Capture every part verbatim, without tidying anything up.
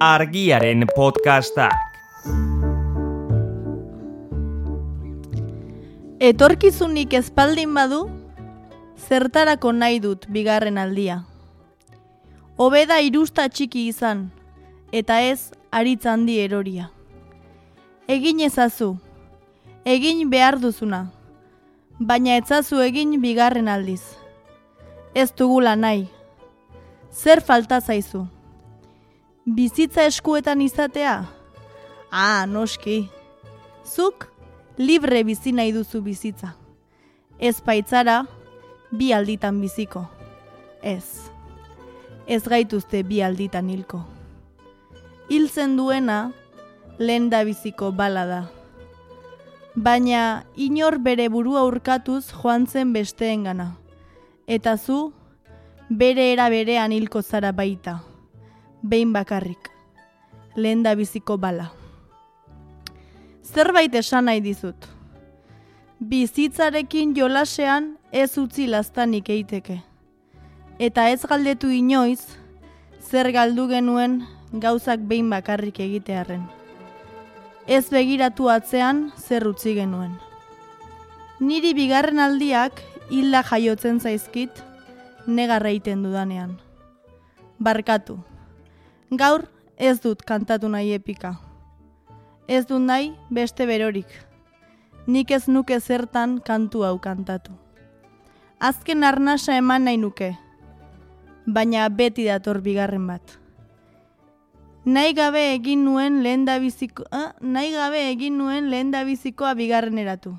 Argiaren podcastak. Etorkizunik ezpaldin badu, zertarako nahi dut bigarren aldia. Hobeda irusta txiki izan, eta ez aritz handi eroria. Egin ezazu, egin behar duzuna, baina etzazu egin bigarren aldiz. Ez dugula nahi. Zer falta zaizu? Bizitza eskuetan izatea? Ah, noski. Zuk libre bizi nahi duzu bizitza. Ez baitzara, bi alditan biziko. Ez. Ez gaituzte bi alditan hilko. Hiltzen duena, lehen da biziko bala da. Baina inor bere burua urkatuz joan zen besteengana. Eta zu, bere era berean hilko zara baita. Behin bakarrik. Lehen da biziko bala. Zerbait esan nahi dizut. Bizitzarekin jolasean ez utzi laztanik eiteke. Eta ez galdetu inoiz, zer galdu genuen gauzak behin bakarrik egitearren. Ez begiratu atzean zer utzi genuen. Niri bigarren aldiak hilda jaiotzen zaizkit negarra egiten dudanean. Barkatu. Gaur ez dut kantatu nahi epika. Ez dut nahi beste berorik. Nik ez nuke zertan kantu hau kantatu. Azken arnasa eman nahi nuke, baina beti dator bigarren bat. Nahi gabe egin nuen lehendabiziko, eh? nahi gabe egin nuen lehendabizikoa bigarreneratu.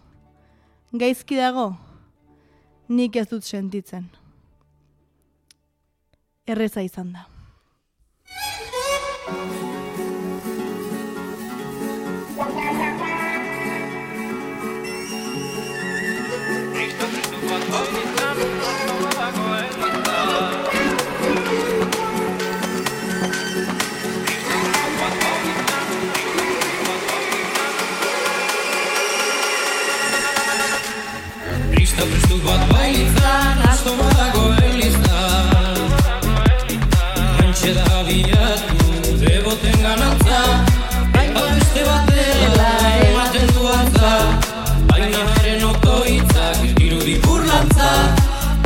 Gaizki dago, nik ez dut sentitzen. Erreza izan da. Kristo Kristu bat bailitzan, asto badago elizan. Hantxe da bilatu, deboten ganantza, baina beste batela ematen du altza. Baina haren otoitzak irudi burlantza,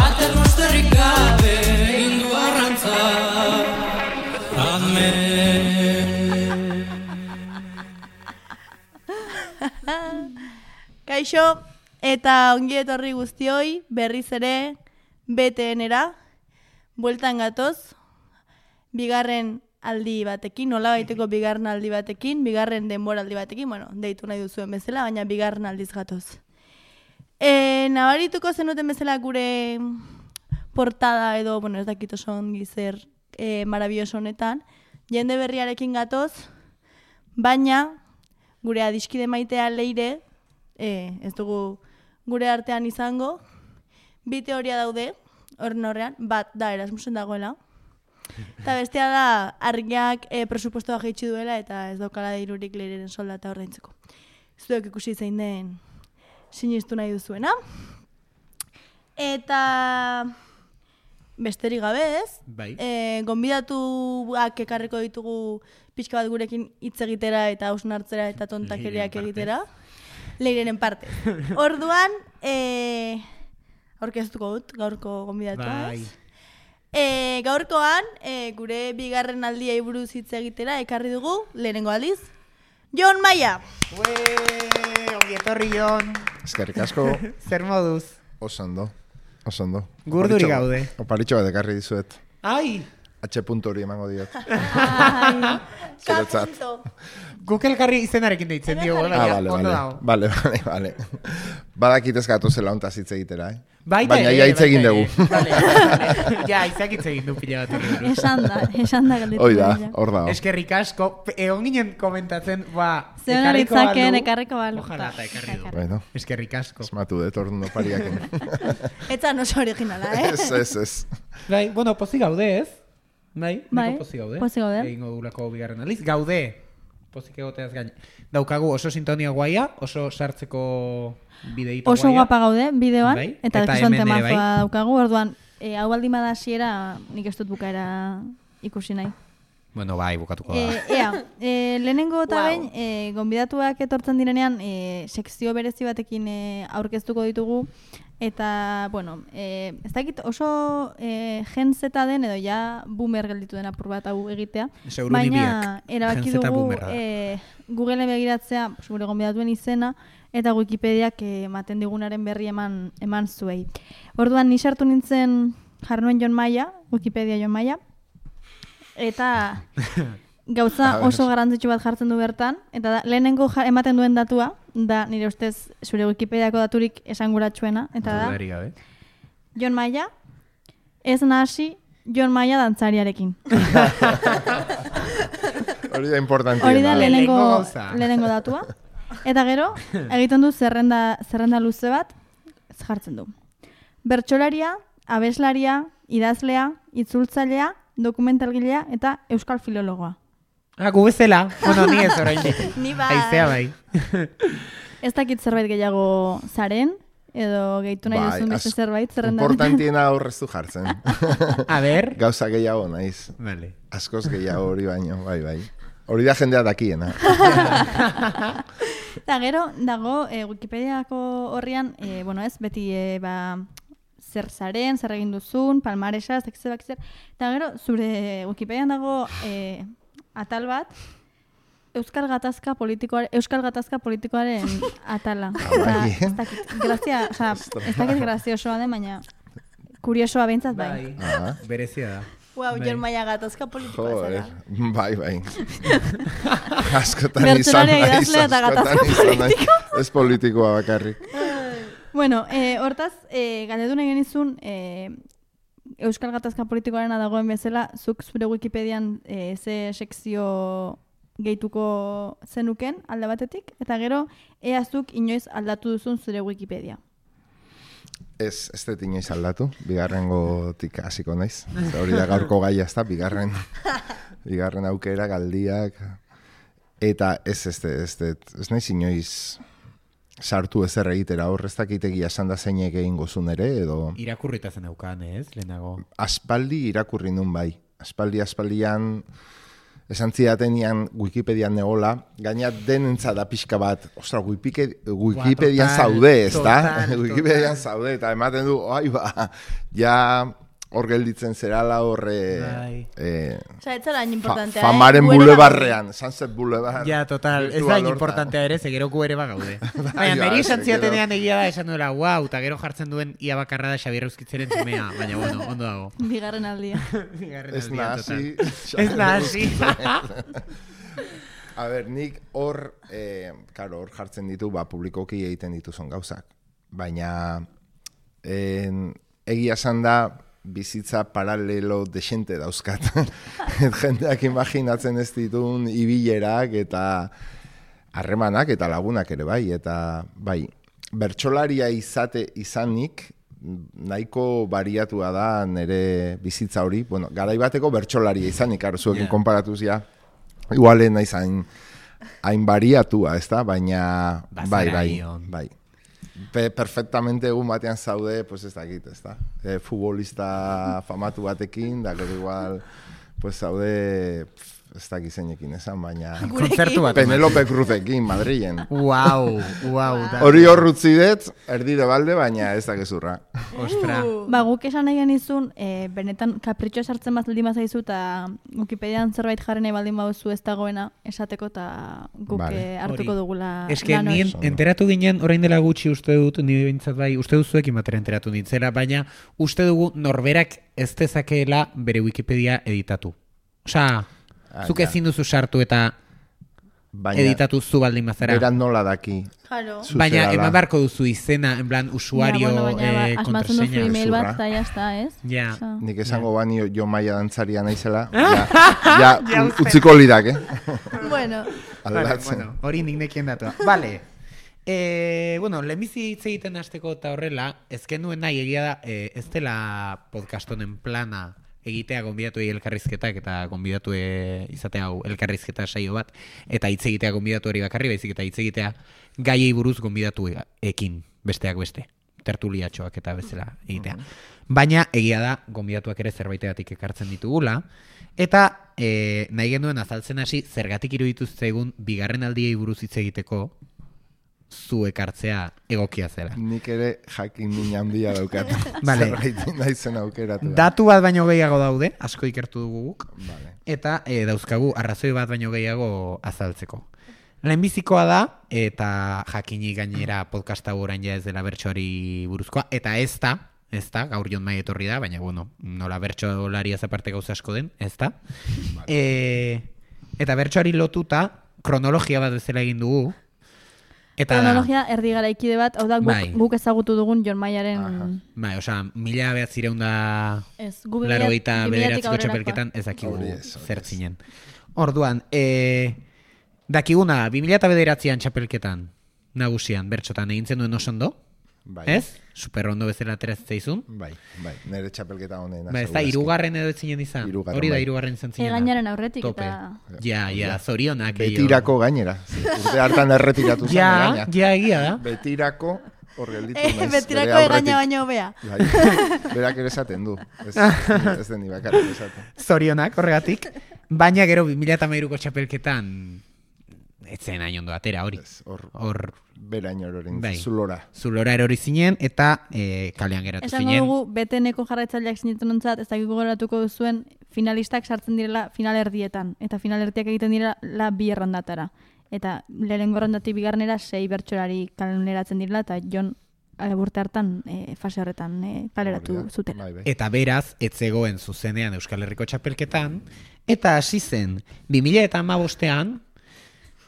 ater mosterrik gabe egin du arrantza. Amen. Kaixo, eta ongi etorri guztioi, berriz ere, B T N-era, bueltan gatoz, bigarren aldi batekin, nola baiteko bigarren aldi batekin, bigarren denbora aldi batekin, bueno, deitu nahi duzuen bezala, baina bigarren aldiz gatoz. E, nabarituko zenuten bezala gure portada edo, bueno, ez dakit oso ongi zer e, marabilloso honetan, jende berriarekin gatoz, baina gure adiskide maitea Leire, e, ez dugu gure artean izango, bi teoria daude, horren horrean, bat da Erasmusen dagoela, eta bestea da Argiak e, presupuestoa jaitsi duela eta ez daukala dirurik Leireren soldata ordaintzeko. Zuek ikusi zein den sinistu nahi duzuena. Eta besterik gabe ez, Bai. e, gonbidatuak ekarriko ditugu pixka bat gurekin hitz egitera eta hausnartzera eta tontakeriak egitera. Leireren parte. Orduan, e, aurkeztuko dut, gaurko gonbidatua, ez? E, gaurkoan, e, gure bigarren aldiai buruz hitz egitera, ekarri dugu, lehenengo aldiz, Jon Maia! Ue, ongi etorri Jon. Eskerrik asko. Zer moduz? Osondo, osondo. Gurduri gaude. Oparitxo bat ekarri dizuet. Ai! H puntu hori emango diot. Ai, Zuretzat. Guk elkarri izenarekin deitzen dio. Ah, bale, bale. Bale, bale, bale. Badakit ez gatu zela ontaz hitz egitera, eh? Baita, baina ja hitz egin dugu. Bale, bale. Ja, izak hitz egin du pila bat. Esan da, esan da galdetu. Hoi da, hor da. Eskerrik asko, egon ginen komentatzen, ba, Zeon aritzaken, ekarriko balu. Ojalá eta ekarri du. Bueno, Eskerrik asko. esmatu dut orduan opariaken. Etzan oso originala, eh? Ez, ez, ez. Bai, bueno, pozik gaude ez? Bai, Bai, niko pozik gaude. pozik gaude. Egingo dugulako bigarren aliz. Gaude, pozik egoteaz gain. Daukagu oso sintonia guaia, oso sartzeko bideito Oso guaia. guapa gaude, bideoan, Bai, eta eta ikusten hemen ere temazoa bai. daukagu, orduan, e, hau baldin bada hasiera nik ez dut bukaera ikusi nahi. Bueno, bai, bukatuko da. E, ea, e, lehenengo eta behin, e, gonbidatuak etortzen direnean, e, sekzio berezi batekin e, aurkeztuko ditugu, eta, bueno, e, ez dakit oso e, gentzeta den, edo ja boomer gelditu den apur bat hau egitea, baina erabaki dugu e, Googleen begiratzea, gure gonbidatuen izena, eta Wikipediak ematen digunaren berri eman, eman zuei. Orduan, ni sartu nintzen jarnuen Jon Maia, Wikipedia Jon Maia, eta gauza oso garrantzitsu bat jartzen du bertan, eta da, lehenengo ematen duen datua, da nire ustez zure Wikipediako daturik esanguratsuena, eta da, Jon Maia, ez nahasi Jon Maia dantzariarekin. Hori da importantiena. Hori da lehenengo, lehenengo datua. Eta gero, egiten du zerrenda, zerrenda luze bat, jartzen du. Bertsolaria, abeslaria, idazlea, itzultzailea, dokumentalgilea eta euskal filologoa. Ah, gu bezala. Bueno, ni ez orain. Ni bai. Aizea bai. Ez dakit zerbait gehiago zaren, edo gehitu nahi duzun beste zerbait zerrenda. Importantiena aurreztu jartzen. A ber. Gauza gehiago naiz. Vale. Askoz gehiago hori baino, bai, bai. Hori da jendea dakiena. Eta gero, dago, e, Wikipediako horrian, e, bueno ez, beti e, ba, zer zaren, zer egin duzun, palmaresa, zekizebak zer. Eta gero, zure Wikipedian dago e, atal bat, Euskal Gatazka politikoaren, Euskal Gatazka politikoaren atala. Bai. Ez dakit, grazia, oza, ez dakit graziosoa den, baina kuriosoa behintzat bai. Bai. Berezia da. Wow, Jon Maia gatazka politikoa zara. Bai, bai. Askotan izan Bertsolaria naiz, idazlea eta gatazka askotan izan naiz. politikoa. Ez politikoa bakarrik. Bueno, eh, hortaz, eh, galdetu nahi genizun, eh, Euskal Gatazka politikoarena dagoen bezala, zuk zure Wikipedian eh, ze sekzio gehituko zenuken alde batetik, eta gero, ea zuk inoiz aldatu duzun zure Wikipedia. Ez, ez dut inoiz aldatu, bigarrengotik hasiko naiz. Hori da gaurko gaia ez da, bigarren, bigarren aukera, galdiak. Eta ez, ez, ez, ez, ez naiz inoiz sartu ezer egitera hor, ez dakitegia esan da zeinek egin gozun ere, edo... Irakurrita zen aukan, ez, lehenago? Aspaldi irakurri nun bai. Aspaldi, aspaldian... Esan zidatenean Wikipedian negola, gaina denentza da pixka bat, ostra, Wikipedian zaude, ez da? Wikipedian zaude, eta ematen du, oi ba, ja hor gelditzen zerala horre... Eh, Osa, ez zara importantea, fa, famaren eh? bulebarrean, Sunset Boulevard. Ja, total, ez da importantea ere, ze gero gu ere bagaude. Baina, niri esan zidatenean egia da, esan duela, wow, eta gero jartzen duen ia bakarra da Xabier Euskitzeren zumea, baina, bueno, ondo dago. Bigarren aldia. Bigarren ez aldia, nahasi. Ez nahasi. A ber, nik hor, eh, karo, hor jartzen ditu, ba, publikoki egiten dituzon gauzak. Baina, en, egia esan da, bizitza paralelo desente dauzkat. Jendeak imaginatzen ez ditun ibilerak eta harremanak eta lagunak ere bai. Eta bai, bertsolaria izate izanik nahiko bariatua da nire bizitza hori. Bueno, garai bateko bertsolaria izanik, aro zuekin yeah. konparatuz ja. Igualen naiz hain, hain bariatua, ez da? Baina bai, bai, bai. Pe, perfectamente egun batean zaude, pues ez dakit, ez da? E, futbolista famatu batekin, da gero igual, pues zaude, ez dakit zeinekin esan, baina... Kontzertu bat. Penelope Cruzekin, Madrilen. Uau, uau. Hori hor rutzi dut, erdi de balde, baina ez da gezurra. Ostra. Ba, guk esan nahi genizun, e, benetan kapritxoa sartzen baldin bazaizu, eta Wikipedian zerbait jarri nahi baldin baduzu ez dagoena esateko, eta guk vale. e, hartuko Ori. dugula Eske, lan hori. Eske, enteratu ginen, orain dela gutxi uste dut, nire bintzat bai, uste duzuekin batera enteratu nintzela, baina uste dugu norberak ez dezakeela bere Wikipedia editatu. Osa, ah, zuk ezin duzu sartu eta baina, editatu zu baldin bazara. Beran nola daki. Claro. Baina eman barko duzu izena, en plan, usuario, ja, bueno, baina, eh, ba, kontraseña. asmatzen duzu email bat, eta jazta, ez? Ja. So. Nik esango yeah. bani Jon Maia dantzaria naizela. ja, ja, ja utziko lirak, eh? Bueno. Vale, bueno, hori nik nekien datua. Vale. Eh, bueno, lehenbizi hitz egiten hasteko eta horrela, ezken duen nahi egia da, eh, ez dela podcast honen plana egitea gonbidatu elkarrizketak eta gonbidatu izatea hau elkarrizketa saio bat, eta hitz egitea gonbidatu hori bakarri, baizik eta hitz egitea gaiei buruz gonbidatu ekin, besteak beste. tertuliatxoak eta bezala egitea. Baina egia da, gonbidatuak ere zerbaitegatik ekartzen ditugula, eta e, nahi genuen azaltzen hasi zergatik iruditu zaigun bigarren aldiei buruz hitz egiteko zu ekartzea egokia zela. Nik ere jakin min handia daukat. Vale. Zerbait naizen aukeratu. Datu bat baino gehiago daude, asko ikertu dugu guk, Vale. eta e, dauzkagu arrazoi bat baino gehiago azaltzeko. Lehenbizikoa da, eta jakini gainera podcast hau orain ja ez dela bertsoari buruzkoa, eta ez da, ez da, gaur Jon Mai etorri da, baina bueno, nola bertsolariaz aparte gauza asko den, ez da. Vale. E, eta bertsoari lotuta, kronologia bat bezala egin dugu, eta Kronologia erdi garaikide bat, hau da guk, Bai. guk ezagutu dugun Jon Maiaren... Aha. bai, osea, mila behatzireun da Ez, gu laro eta bi milatik bederatziko aurrerakoa. txapelketan ez dakigu Hori ez, hori zer ez. zinen. Orduan, e, dakiguna, bi mila bederatzian txapelketan nagusian, bertxotan egin zenuen oso ondo, Bai. ez? Super ondo bezala ateratzen zaizun. Bai, bai, nire txapelketa honen. Ba, ez da, hirugarren edo etzinen izan. Hirugarren, Hori da, bai. hirugarren izan zinen. Egainaren aurretik Tope. eta... Ja, ja, zorionak. eio. Betirako gainera. Urte hartan erretiratu zen Ja, gaina. ja, egia da. Betirako hor gelditu Eh, naiz. betirako bere egaina aurretik. baino hobea. Bai, berak ere esaten du. Ez, ez den ni bakarrik esaten. Zorionak, horregatik. Baina gero bi mila hamairuko txapelketan etzen hain ondo atera hori. Ez, hor, Hor beraino erorin, Bai. zulora. zulora erori zinen eta e, kalean geratu Esango zinen. dugu, beteneko jarraitzaileak sinetzen ontzat, ez dakiko goratuko duzuen, finalistak sartzen direla final erdietan. Eta final erdiak egiten direla bi errandatara. Eta lehenengo errandatik bigarnera sei bertsolari kaleratzen direla, eta Jon eh, urte hartan eh, fase horretan eh, kaleratu Hori da. zutela. Bai, bai. Eta beraz, ez zegoen zuzenean Euskal Herriko txapelketan, eta hasi zen, bi mila hamabostean,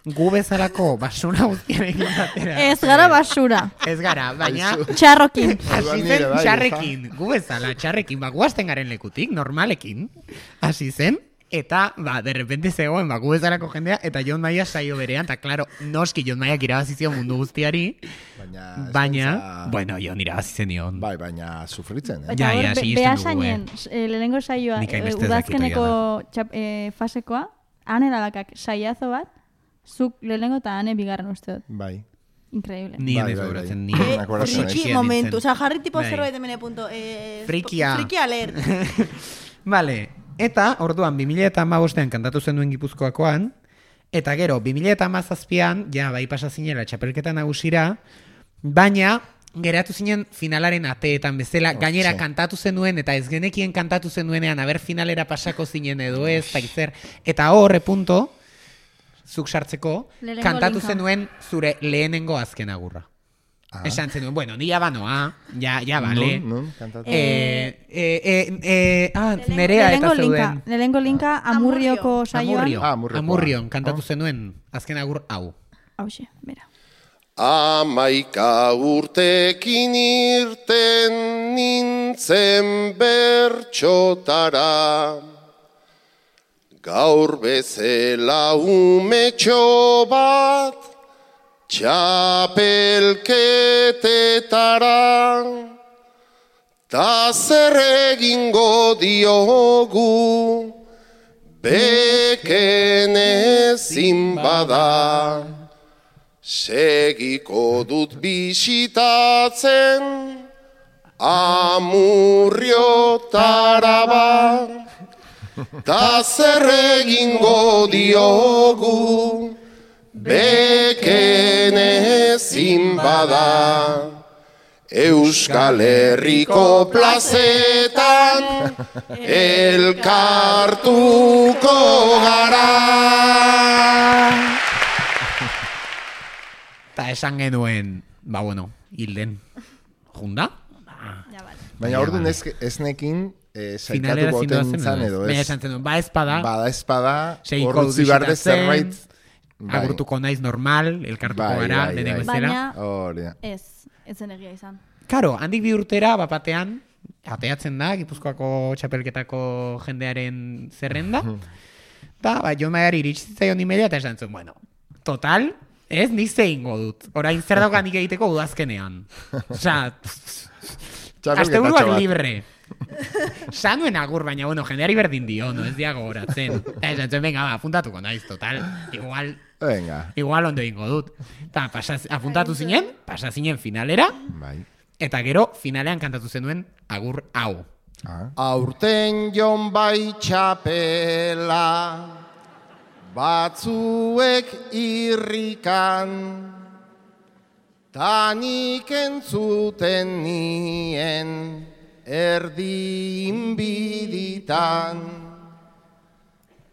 gu bezalako basura guztiarekin batera. Ez gara basura, Ez gara, baina txarrokin. hasi Orduan nire zen bai, txarrekin, gu bezala, txarrekin, ba, guazten garen lekutik, normalekin, hasi zen, eta, ba, derrepente zegoen, ba, gu bezalako jendea, eta Jon Maia saio berean, eta, klaro, noski Jon Maiak irabazizio mundu guztiari, Baina, baina, eskaintza- bueno, Jon irabazizen nion. Bai, baina sufritzen, eh? Eta Ja, hor, ja, be- sinesten behasainen, dugu, eh, lehenengo saioa, Nik eh, hainbeste ez udazkeneko dakit txap, eh, fasekoa, ane dalakak saiazo bat, zuk lehenengo eta ane bigarren uste dut. Bai. Increíble. Ni Bai, ez bai, gogoratzen, bai. ni. Eh, Me acuerdo Friki Friki momentu, oza, jarri tipo Bai. zerbait hemen punto. Eh, Frikia. Friki alert. Vale, eta orduan bi mila hamabostean kantatu zenuen Gipuzkoakoan, eta gero bi mila hamazazpian, ja, bai pasa zinela txapelketa nagusira, baina geratu zinen finalaren ateetan bezala, gainera Hortxe. kantatu zenuen, eta ez genekien kantatu zenuenean, aber finalera pasako zinen edo ez, eta zer, eta horre punto, zuk sartzeko, Lehenengo kantatu linka. zenuen zure lehenengo azken agurra. Ah. Esan zenuen, bueno, ni ja banoa, ja, ja, bale. Nun, nun, kantatu. Eh, eh, eh, eh, ah, nerea eta Lehenengo linka, zeuden. lehenengo linka amurrioko saioan. Amurrio, Ah, Amurriokoa. Amurrion, kantatu Oh. zenuen azken agur hau. Hauxe, bera. Amaika urtekin irten nintzen bertxotara, gaur bezela umetxo bat txapelketetara, ta zer egingo diogu beken ezin bada. Segiko dut bisitatzen Amurriotara ba, ta zer egingo diogu beken ezin bada. Euskal Herriko plazetan elkartuko gara. Eta esan genuen, ba bueno, hilden. Junda? Ja, bale. Baina Baina, orduan bai. ez, ez nekin eh, Finalera saikatuko zindoazen oten zan edo ez? edo Baina ez. esan zenuen, ba espada, Bada espada, Seiko hor utzi behar de bisitatzen, zerbait. Bai. agurtuko naiz normal, elkartuko Bai, gara, bai, denek bai. bezala. Baina, Hori da. ez, ez zen egia izan. Karo, handik bi urtera, bapatean, ateatzen da, Gipuzkoako txapelketako jendearen zerrenda. Da, ba, Jon Maiari iritsitzaion imedia eta esan zuen, bueno, total, ez, nik zeingo dut. Orain zer daukan nik egiteko udazkenean. Osa, asteburuak bat. libre. Sanuen agur, baina, bueno, jendeari berdin dio, no ez diago horatzen. Eta esan zuen, venga, ba, apuntatuko naiz, total, igual, Venga. igual ondo ingo dut. Eta, pasa, apuntatu zinen, pasa zinen finalera, Bai. Eta gero, finalean kantatu zenuen agur hau. Ah. Aurten jon bai txapela, batzuek irrikan, tanik entzuten nien erdi inbiditan.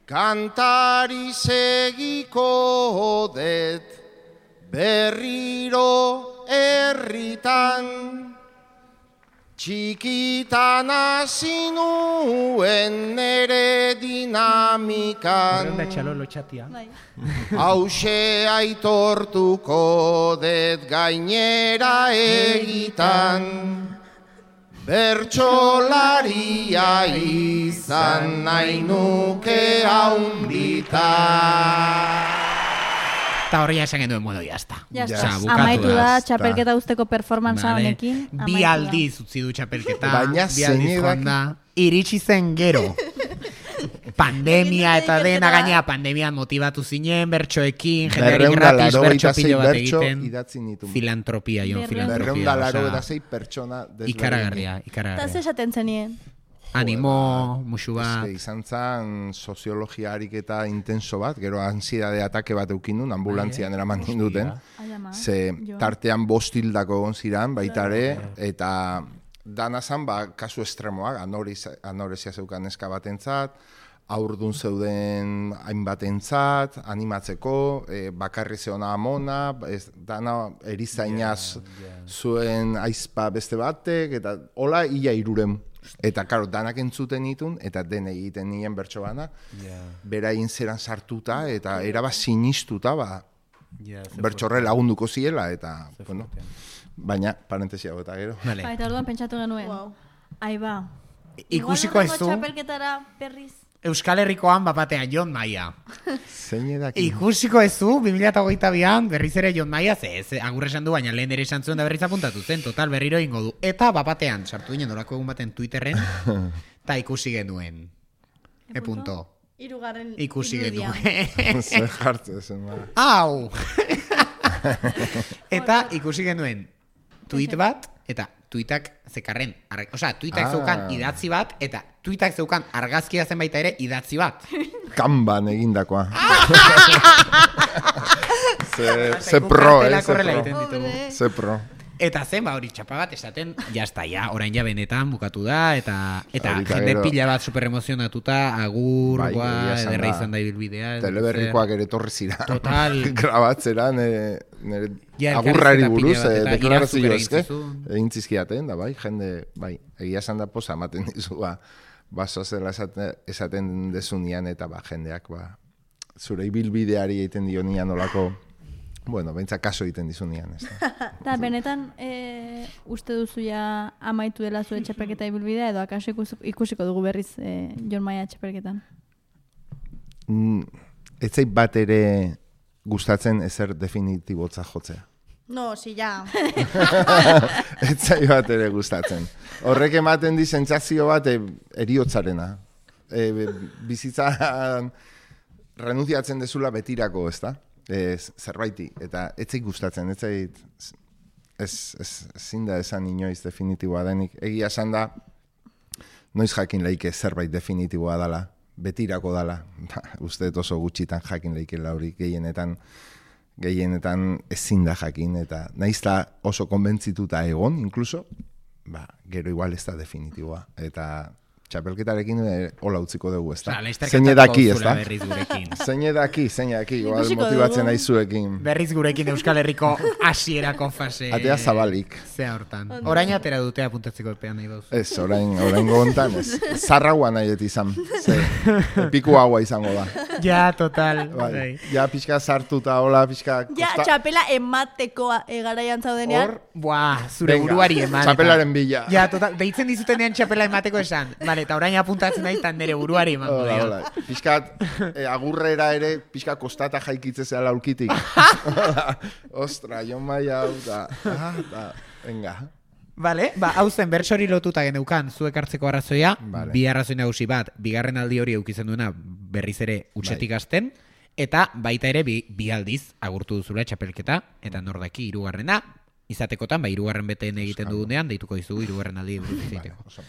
Kantari segiko det berriro herritan, txikitan hasi nuen nere dinamikan. Horren da txalolo txatia. Bai. Hauxe aitortuko det gainera egitan, bertsolaria izan nahi nuke haunditan. Eta horria esan genuen, bueno, jazta. Ya Ya está. está. bukatu Amaitu da, da. txapelketa usteko performance Vale. honekin. Bi amaitu da. aldiz utzi du txapelketa. Baina bi aldiz zeinek joan da. Iritsi zen gero. Pandemia eta dena gainea, pandemian motibatu zinen, bertsoekin, jendeari Berreun da gratis, laro bertso eta sei pilo bat bertso egiten. idatzi nituen. Filantropia, Jon, Berreun. Berreun filantropia. da laro osea, eta sei pertsona desberdin. Ikaragarria, Eta ze ikaragarria. esaten zenien? Animo, musu bat. Eske, izan zen soziologia ariketa intenso bat, gero ansiedade atake bat eukin duen, ambulantzian eraman ninduten. Ai, ama. Ze Jo. tartean bost hildako egon ziren, baita ere, eta dana zan, ba, kasu estremoak, anorezia, anorezia zeukan neska batentzat, aurdun zeuden hainbatentzat, animatzeko, e, bakarri zeona amona, ez, dana erizainaz zuen aizpa beste batek, eta hola ia iruren. Eta, karo, danak entzuten ditun, eta den egiten nien bertso bana, berain zeran sartuta, eta eraba sinistuta, ba, bertxorre lagunduko ziela, eta, bueno, baina, parentesia eta gero. Vale. Ba, eta orduan pentsatu genuen. Wow. Ai ba. Ikusiko ez Igual du, hurrengo txapelketara berriz. Euskal Herrikoan bapatean Jon Maia. Zein edaki? Ikusiko ez du, bi mila hogeita bian berriz ere Jon Maia, ze, ez, agur esan du, baina lehen ere esan zuen da berriz apuntatu zen, total berriro ingo du. Eta bapatean, sartu ginen orako egun baten Twitterren, eta ikusi genuen. E punto. Hirugarren Ikusi irudia. genuen. Zer jartzen zen, ba. Au! Eta ikusi genuen tweet bat, eta tweetak zekarren, ar- osea, tweetak Ah. zeukan idatzi bat, eta tweetak zeukan argazkia zen baita ere idatzi bat. Kanban egindakoa. ze, ze pro, eh? Kartelak Ze horrela pro. egiten ditugu. Ze pro. Eta zen, ba, hori txapa bat esaten, jazta, ja, orain ja benetan bukatu da, eta eta Horita jende gero- pila bat superemozionatuta, agur, Bai, guai, egia esan ederra da. izan da ibilbidea. ez Teleberrikoak ere torri zira. Total. Grabatzeran, e, nire Ja, agurrari elkarrizketa buruz, pila bat, e, eta deklarazio irazuk ere eske, egin zizun. egin zizkiaten, da bai, jende, bai, egia esan da posa ematen dizu, ba, baso zela esaten, esaten dezunean, eta ba, jendeak, ba, zure ibilbideari egiten dionian olako, bueno, behintzat kaso egiten dizunean, ez da. Eta benetan e, uste duzu ja amaitu dela zure txapelketa ibilbidea edo akaso ikus, ikusiko dugu berriz e, Jon Maia txapelketan. Mm, ez zait bat ere gustatzen ezer definitibotza jotzea. No, si ya. Ez zait bat ere gustatzen. Horrek ematen di sentsazio bat e, eriotzarena. E, be- bizitzan renunciatzen dezula betirako, ez da? Ez, zerbaiti. Eta ez zait gustatzen, ez zait... Ez, ez, ezin da esan inoiz definitiboa denik. Egia esan da, noiz jakin leike zerbait definitiboa dala, betirako dala. Ba, uste dut oso gutxitan jakin leikela hori gehienetan, gehienetan ezin da jakin, eta naizta oso konbentzituta egon, incluso, ba, gero igual ez da definitiboa. Eta txapelketarekin e, hola utziko dugu, ez da? Osea, laster Zein kantatuko edaki, ez duzula da? berriz gurekin. Zein edaki, zein edaki, igual Ikusiko motibatzen dugu. aizuekin. Berriz gurekin Euskal Herriko hasierako fase. Atea zabalik. Zea hortan. Orain atera dute apuntatzeko epean nahi bauz. Ez, orain, orain gontan, ez. Zarraua nahi dut izan. Ze, piku haua izango da. Ja, total. Bai. Bai. Ja, pixka sartuta, hola, pixka... Ja, kosta- txapela emateko e, garaian zaudenean. Hor, Buah, zure Venga, buruari eman. eta- txapelaren bila. Ja, total. Deitzen dizutenean txapela emateko esan. Vale, eta orain apuntatzen nahi tan nere buruari eman. Hola, hola. Piskat, eh, agurrera ere, pixka kostata jaikitze zela aulkitik. Ostra, Jon Maia hau, da, ah, da, venga. Vale, ba, hau zen bertsori lotuta geneukan zuek hartzeko arrazoia, Vale. bi arrazoi nagusi bat, bigarren aldi hori eukitzen duena berriz ere utxetik Bai. hasten, eta baita ere bi, bi aldiz agurtu duzula txapelketa, eta nordaki hirugarrena, izatekotan, ba, hirugarren beteen egiten dugunean, deituko dizugu hirugarren aldi buruz hitz egiteko.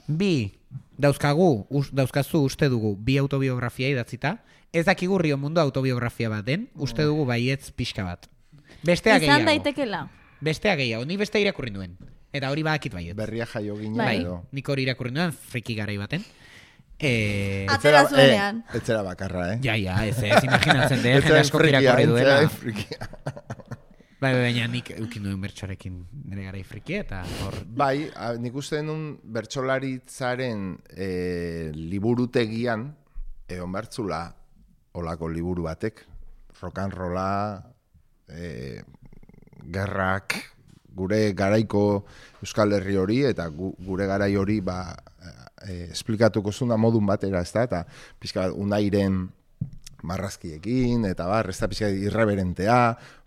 Bi, dauzkagu, us, dauzkazu uste dugu bi autobiografia idatzita, ez dakigu Rio Mundo autobiografia bat den, uste dugu baietz pixka bat. Bestea gehiago. Izan daitekela. Bestea gehiago, nik bestea irakurri nuen. Eta hori badakit baietz. Berria jaio ginen Bai, edo. nik hori irakurri nuen, friki garai baten. E... Atzera zuenean. Eh, etzera bakarra, eh? Ja, ja, ez ez, imaginatzen dut, jende asko frikia, irakurri duela. etzera frikia. Bai, baina nik eukin duen bertsoarekin nire garai friki eta hor... Bai, a, nik uste denun bertsolaritzaren e, liburutegian egon bertzula olako liburu batek. Rock'n'rolla, e, gerrak, gure garaiko Euskal Herri hori eta gu, gure garai hori ba, e, esplikatuko zuna modun batera, ez da, eta pixka bat unairen marrazkiekin, eta bar, ez da pixka irreverentea,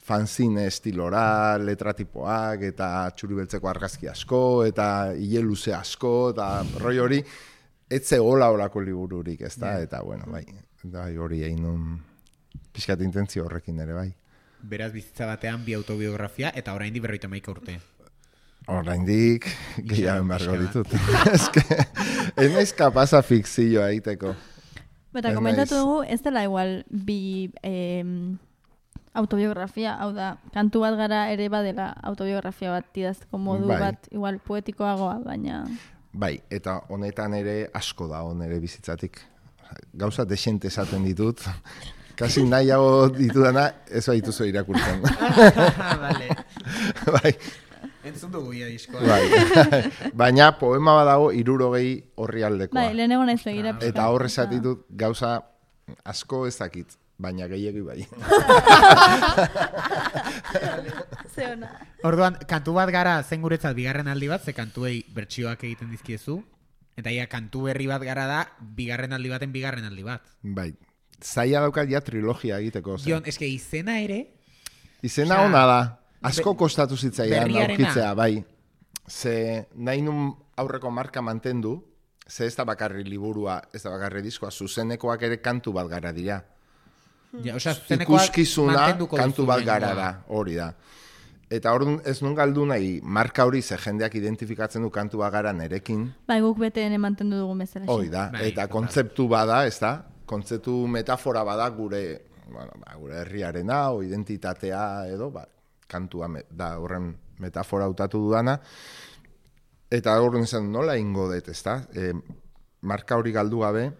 fanzine estilora, letratipoak, eta txuribeltzeko argazki asko, eta hile luze asko, eta roi hori, etze hola holako libururik, ez da, eta bueno, bai, bai hori egin nun pixkat intentzio horrekin ere, bai. Beraz bizitza batean bi autobiografia, eta oraindik berrogeita hamaika urte. Oraindik gehiago embargo ditut. Eske, ez naiz kapaza fikzioa egiteko. Eta Ez komentatu naiz. dugu, ez dela igual bi eh, autobiografia, hau da, kantu bat gara ere badela autobiografia bat idazteko modu Bai. bat, igual poetikoagoa, baina... Bai, eta honetan ere asko da nere bizitzatik. Gauza desente esaten ditut. Kasi nahiago ditudana, ez baituzu irakurtzen. Vale. Bai, Entzun dugu ia diskoa. bai. Baina poema badago hirurogei horri aldekoa. Bai, lehenengo naiz begira. pixka. Eta hor esatitut gauza asko ez dakit, baina gehiegi bai. Ze ona. Orduan, kantu bat gara zen guretzat bigarren aldi bat, ze kantuei bertsioak egiten dizkiezu, eta ia kantu berri bat gara da, bigarren aldi baten bigarren aldi bat. Bai, zaila daukat ja trilogia egiteko. zen. Dion, eske izena ere, Izena Osea, ona da. Asko kostatu zitzaidan berriarena. aurkitzea, bai. Ze nahi nun aurreko marka mantendu, ze ez da bakarri liburua, ez da bakarri diskoa, zuzenekoak ere kantu bat gara dira. ja, osea, zuzenekoak Ikuskizuna mantenduko kantu duzu bat gara lehengoa. da, hori da. Eta orduan ez nun galdu nahi, marka hori ze jendeak identifikatzen du kantu bat gara nerekin, Bai, guk beteen mantendu dugu bezala. hori da. Bai, Eta total. kontzeptu bada, ez da? Kontzeptu metafora bada gure, bueno, ba, gure herriarena, o identitatea edo, ba, kantua me, da horren metafora hautatu dudana. Eta horren zen nola ingo dut, ez da? E, marka hori galdu gabe,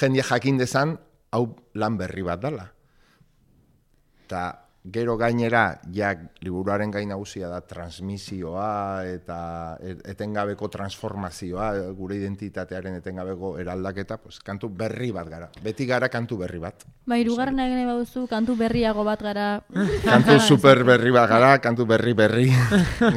jende jakin dezan, hau lan berri bat dela. Eta gero gainera, ja, liburuaren gain nagusia da transmisioa eta etengabeko transformazioa, gure identitatearen etengabeko eraldaketa, pues, kantu berri bat gara. Beti gara kantu berri bat. Bai, hirugarren egin baduzu, kantu berriago bat gara. Kantu super berri bat gara, kantu berri berri.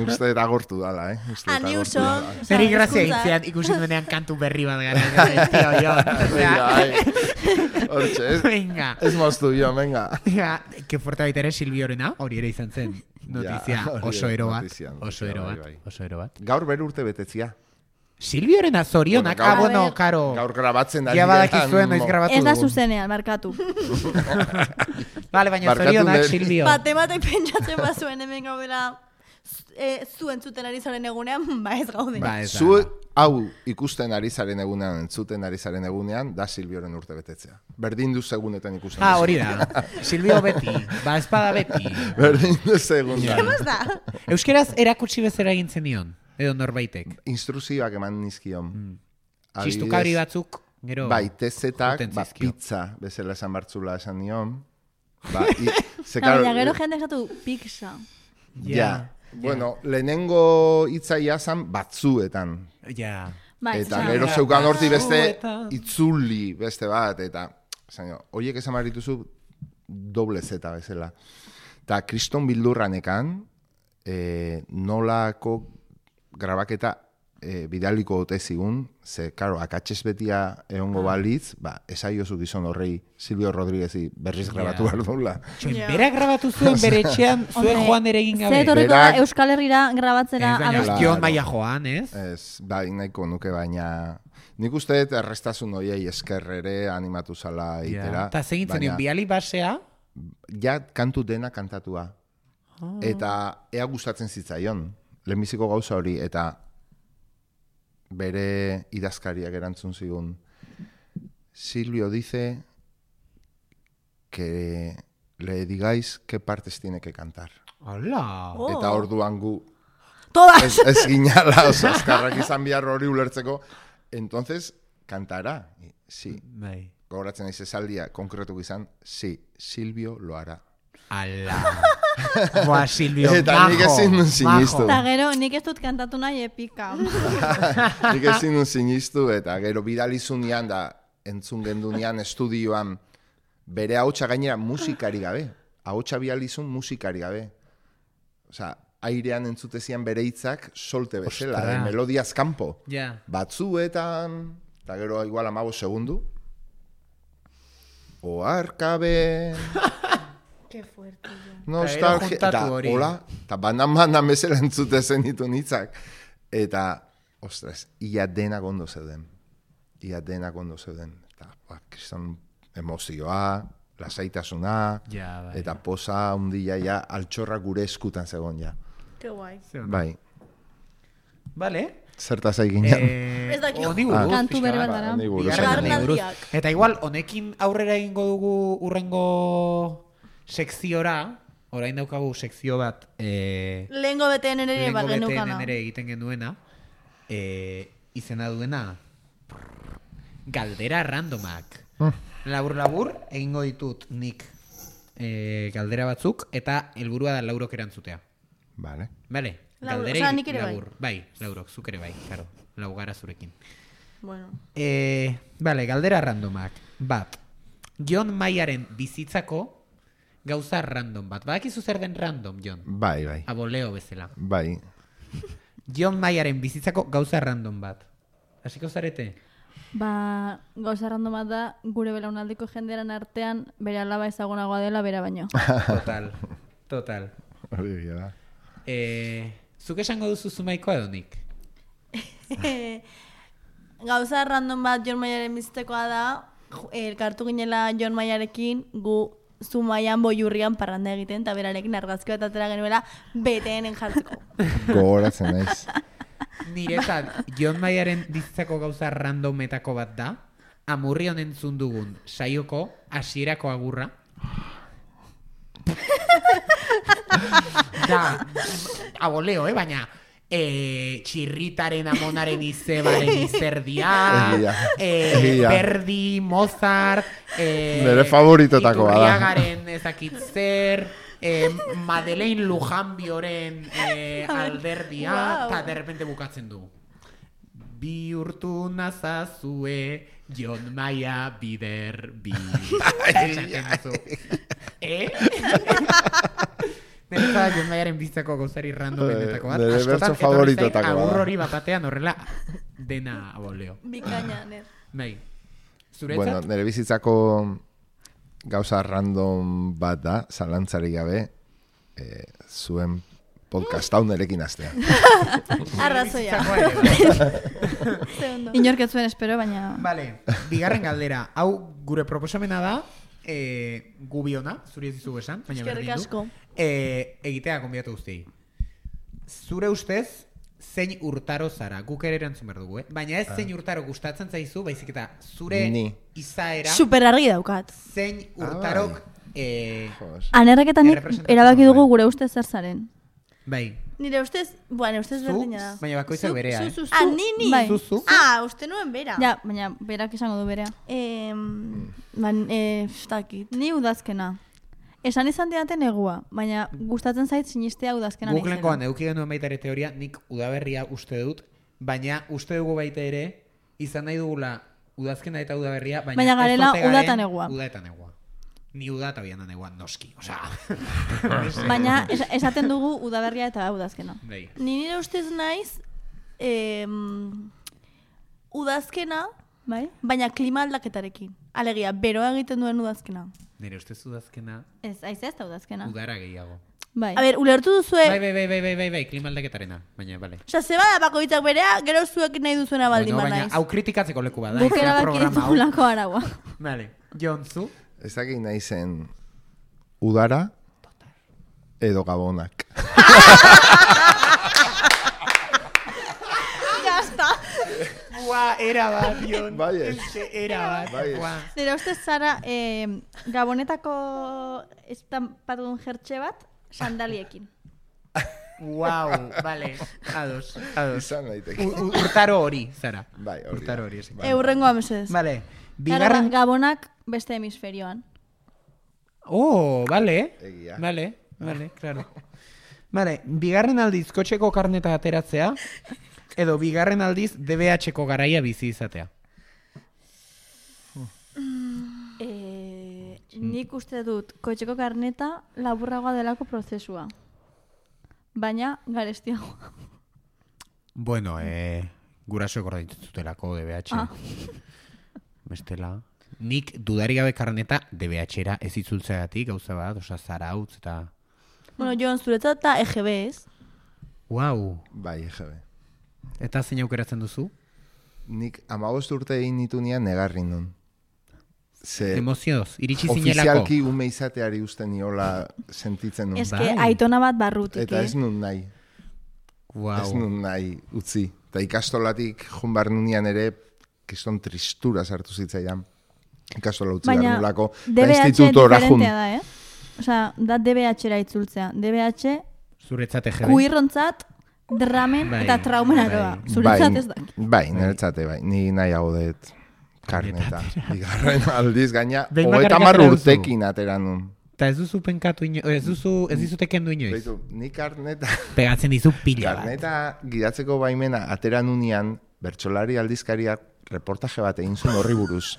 Uste eta agortu dala, eh? Uste dut Aniuso. agortu dala. Zeri grazia itzean ikusi duenean kantu berri bat gara. Tio, jo. Venga, hortxe, ez, Venga. ez moztu jo, venga. Ja, que fuerte baita ere Silviorena, hori ere izan zen. Notizia Ja, hori oso ere ero bat. notizia, Oso notizia, ero bai, bat. bai. Oso ero bat. Gaur bere urte betetzia. Silviorena zorionak. Bueno, Ah, gaur- bueno, A ver. karo. Gaur grabatzen ari Ja geran, badakizuen noiz mo- grabatu Ez da dugun. zuzenean, markatu. Vale, baina Barkatu zorionak, dut. Silvio. Batematek pentsatzen bazuen hemen gaudela e, zu entzuten ari zaren egunean, ba ez gaude. Ba, ez da. Zu hau ikusten ari zaren egunean, entzuten ari zaren egunean, da Silvioren urte betetzea. Berdin du segunetan ikusten. Ah, duzu. hori da. Silvio beti. Ba, espada beti. Berdin du segundan. Ez da? Euskeraz erakutsi bezera egin zenion. Edo norbaitek. Instruzioak eman nizkion. Adibidez, Txistukabri batzuk, gero. Bai, tezetak, joten ba, zizkio. pizza bezala esan bartzula esan nion. Ba, i, ze, No, karo, baina gero jende esatu pizza. Ja. Bueno, lehenengo hitzaia zan batzuetan. Ja. Bai, Eta esan- gero zeukan horti beste Batzuetan. itzuli beste bat, eta zaino, oiek esan barituzu doble zeta bezala. Eta kriston bildurranekan, e, nolako grabaketa e, bidaliko ote zigun, ze, karo, akatxez betia egongo balitz, ba, esaiozu gizon horrei Silvio Rodríguezi berriz grabatu Ja. behar duela. Txoin, Ja. berak grabatu zuen bere etxean, zuen Hombre, joan ere egin Ze gabe. etorriko da Berak- Euskal Herrira grabatzera Ez, baina abestu. Claro. ostion maia joan, ez? Ez, bai, nahiko nuke, baina nik uste dut errestasun hoiei esker ere animatu zala itera. Eta zegin baina zenion, biali basea, ja kantu dena kantatua. Eta ea gustatzen zitzaion, lehenbiziko gauza hori, eta bere idazkariak erantzun zigun. Silvio dice que le digáis qué partes tiene que cantar. Hola. Oh. Eta orduan gu Todas! ez, ez ginala, oso azkarrak izan behar hori ulertzeko. Entonces, cantará. Y, sí. Bai. Gogoratzen naiz esaldia konkretu izan, sí, Silvio lo hará. Ala. Boa, Silvio, Eta majo. nik ezin nun sinistu. Eta gero, nik ez dut kantatu nahi epika. Nik ezin nun sinistu, eta gero bidalizunean da, entzun gendunean estudioan, bere ahotsa gainera musikari gabe. Ahotsa bidalizun musikari gabe. Osea, airean entzutezian bere hitzak solte bezala, Ostra. de melodiaz kanpo. Ja. Batzuetan, eta gero igual amago segundu, oarkabe, Qué fuerte, jo. nostalgia, juntatu eta hori. hola, eta banan-banan bezala entzute zenitu hitzak. Eta, ostras, ia denak ondo zeuden. Ia denak ondo zeuden. Eta, ba, kriston emozioa, lasaitasuna, Ja, bai. eta posa hundia ja altxorra gure eskutan zegoen ja. Qué guai. Bai, Vale. zertaz egin ja. Eh, Ez dakit. honi buruz, Kantu pixka berri bat. bat dara. honi buruz. Bigarren honi buruz. Garnaldiak. Eta igual, honekin aurrera egingo dugu urrengo sekziora, orain daukagu sekzio bat, eh, Lehengo beteen ere lehengo bagenukana. beteen ere egiten genuena, eh, izena duena, galdera randomak. Labur-labur, egingo ditut nik eh, galdera batzuk, eta helburua da laurok erantzutea. Vale. Vale? Lauro, Galderei osea, nik ere bai. labur. Bai, laurok, zuk ere bai, claro. Lau gara zurekin. Bueno. Eh, vale, galdera randomak. Bat, Jon Maiaren bizitzako gauza random bat. Badakizu zer den random, Jon? Bai, bai. Aboleo bezala. Bai. Jon Maiaren bizitzako gauza random bat. Hasiko zarete? Ba, gauza random bat da, gure belaunaldiko jendearen artean, bere alaba ezagunagoa dela, bera baino. Total, total. Hori egia da. Eh, zuk esango duzu zumaikoa edo nik? Gauza random bat Jon Maiaren bizitekoa da, ju- elkartu ginela Jon Maiarekin, gu Zumaian boiurrian parranda egiten, eta berarekin argazki bat atera genuela beteenen jartzeko. Gogoratzen naiz. Niretzat, Jon Maiaren bizitzako gauza randometako bat da, Amurrion entzun dugun saioko hasierako agurra. Da, aboleo, eh, baina eh, txirritaren amonaren izebaren izerdia, Egia, eh, egia. Verdi, Mozart, eh, Nire favoritotakoa da. Iturriagaren ezakit zer, eh, Madeleine Lujanbioren eh, alderdia, Wow. eta de repente bukatzen du. Bihurtu nazazue Jon Maia bider bi. Esaten duzu. Eh? Niretzat Jon Maiaren bizitzako gauzari randomenetako bat. Nire Askotan bertso etorri zait favoritotakoa da. agur hori bat batean horrela dena aboleo. Bikaina, ner. Bai. Bueno, Zuretzat? nire bizitzako gauza random bat da, zalantzarik gabe, eh, zuen podcast hau nerekin astea. Arrazoia. Bizitzakoa ere, bai. Ze ondo. Inork ez zuen espero, baina... Vale, bigarren galdera. Hau gure proposamena da, eh, gubiona, zuri ez dizugu esan, baina Eskerrik berdin du. asko. Eh, egitea konbidatu guztiei. Zure ustez, zein urtaro zara? Guk ere erantzun behar dugu, eh? Baina ez zein urtaro gustatzen zaizu, baizik eta zure Ni. izaera, Super argi daukat. zein urtarok... eh, Jos. Anerrak eta nik Errepresentatzen erabaki duen. dugu gure ustez zer zaren. bai. Nire ustez, bueno, ustez Zu, berdina da. baina bakoitzak berea, eh? Zu, zu, ah, ni, ni. Bai. Zu, zu. Ah, uste nuen bera. Ja, baina berak esango du berea. Eh, ban, eh, ez dakit. Ni udazkena. Esan izan diate negua, baina gustatzen zait sinistea udazkena Guk lehenkoan naizela. eduki genuen baita ere teoria, nik udaberria uste dut, baina uste dugu baita ere, izan nahi dugula udazkena eta udaberria, baina, Baina ez garela ote uda garen eta negua. Uda eta negua. Ni uda eta bian negua noski, osea. Baina es- esaten dugu udaberria eta udazkena. Bai. Ni nire ustez naiz, eh, udazkena, Bai? baina klima aldaketarekin. Alegia, beroa egiten duen udazkena. Nire ustez udazkena Ez, aiz ez da udazkena. udara gehiago. Bai. A ber, ulertu duzue, Bai, bai, bai, bai, bai, bai, bai, klima aldaketarena, baina, bale. osea, zeba da bakoitzak berea, gero zuek nahi duzuena baldin Bueno, baina banaiz. hau kritikatzeko leku bada. Guk ez da erabaki programa hau. ditugulako araua. Vale, Jon, zu? Ez dakit nahi zen udara, Edo gabonak. Ya está. Buah, era bat, Jon. Bai ez. Era bat. Bai ez. Buah. Nire ustez Sara, eh, gabonetako estampatun jertxe bat, sandaliekin. Wow, vale. Ados, ados. Izan daiteke. U- u- Urtaro hori, Zara. Bai, hori. Urtaro hori, ezik. Eurrengoa mesedez. Vale. Bigarren... Bigarren... Gabonak beste hemisferioan. Oh, vale. Egia. Vale, vale, claro. Vale, bigarren aldiz kotxeko karneta ateratzea, edo bigarren aldiz D B H-ko garaia bizi izatea. Eh, nik uste dut kotxeko karneta laburragoa delako prozesua. Baina garestiagoa. Bueno, eh, gurasoek ordaintutelako D B H. Ah. Bestela. Nik dudari gabe karneta D B H-era ez itzultzeagatik gauza bat, osea zarautz eta... Bueno, Jon, zuretzat eta E G B ez? Wow. Bai, E G B. Eta zein aukeratzen duzu? Nik amabost urte egin nitunean negarri nun. Ze Emozioz, iritsi zinelako. ofizialki ume izateari usten niola sentitzen nun. Ez que Bai. aitona bat barrutik, Eta eh? ez nun nahi. Wow. Ez nun nahi utzi. Eta ikastolatik junbar nunean ere kiston tristura sartu zitzaidan. Ikastola utzi behar Baina nulako. D B H institutora jun. diferentea da, eh? Osea, da D B H-era itzultzea. D B H Zuretzat E G B. kuirrontzat, dramen Bai, eta traumen aroa. bai. Zuretzat ez da. Bai, niretzate bai. Ni nahiago dut karneta. Bigarren aldiz gaina, Behin hogeita bakarrik hamar atera duzu. urtekin atera nun. Eta ez duzu penkatu ino... Ez duzu, ez dizute kendu inoiz. Beitu, ni karneta, Pegatzen dizu pila bat. karneta gidatzeko baimena atera nunean, bertsolari aldizkariak reportaje bat egin zuen horri buruz.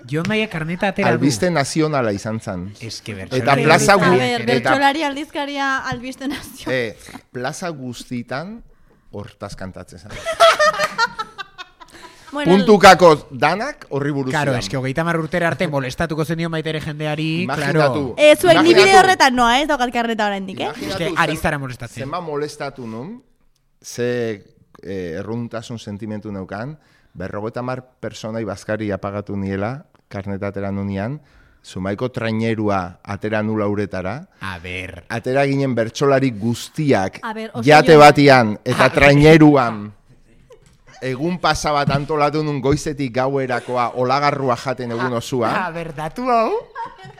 Jon Maia karneta atera du. Albiste nazionala izan zen. Eske Eta bertsolari plaza A gu- ber, eta- bertsolari aldizkaria albiste nazio. E, plaza guztitan hortaz kantatzen zen. Bueno, Puntukako danak horri buruz. Claro, zidan. eske hogeita hamar urtera arte molestatuko zenio maitere jendeari, Imaginatu. claro. Eh, zuek ni Imaginatu. bide horretan noa, ez daukat karneta oraindik, eh? Imaginatu Eske ari zara molestatzen. Zenba molestatu nun, ze eh, erruntasun sentimentu neukan, berrogeita hamar personai bazkari apagatu niela, karneta atera nunean, Zumaiko trainerua atera nula uretara, A ber. atera ginen bertsolari guztiak A ber, oso jate jo- batian eta traineruan egun pasa bat antolatu nun goizetik gauerakoa olagarrua jaten egun osua. A ber, datu hau?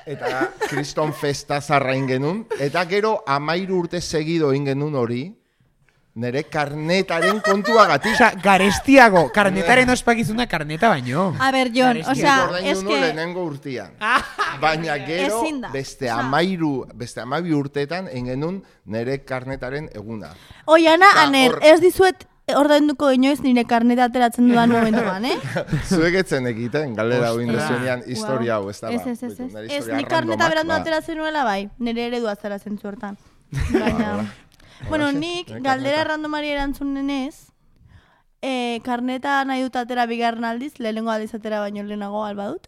Eta kriston festa zarra genuen. Eta gero amairu urte segido genuen hori, nire karnetaren kontuagatik. Osa, garestiago, karnetaren ospakizuna karneta baino. A ber, Jon, Garestiago. osea, Ordaindu es nuen que... lehenengo urtean. Baina gero Ezin da. beste Osea- amairu, beste amabi urtetan engenun nire karnetaren eguna. Oiana, Osea, aner, hor- ez dizuet ordainduko inoiz nire karneta ateratzen dudan momentuan, eh? Zuek etzen egiten, galera hau Ostras. indezuenean historia hau, ez da ba. Ez, ez, ez, ez. Nire Ez, historia ni karneta randomak, berandu ba. ateratzen nuela bai, nire eredua zara zentzu hortan. Baina... Bueno, Hola, nik nire galdera karneta. randomari erantzunenez, eh, karneta nahi dut atera bigarren aldiz, lehenengo aldiz atera baino lehenago alba dut.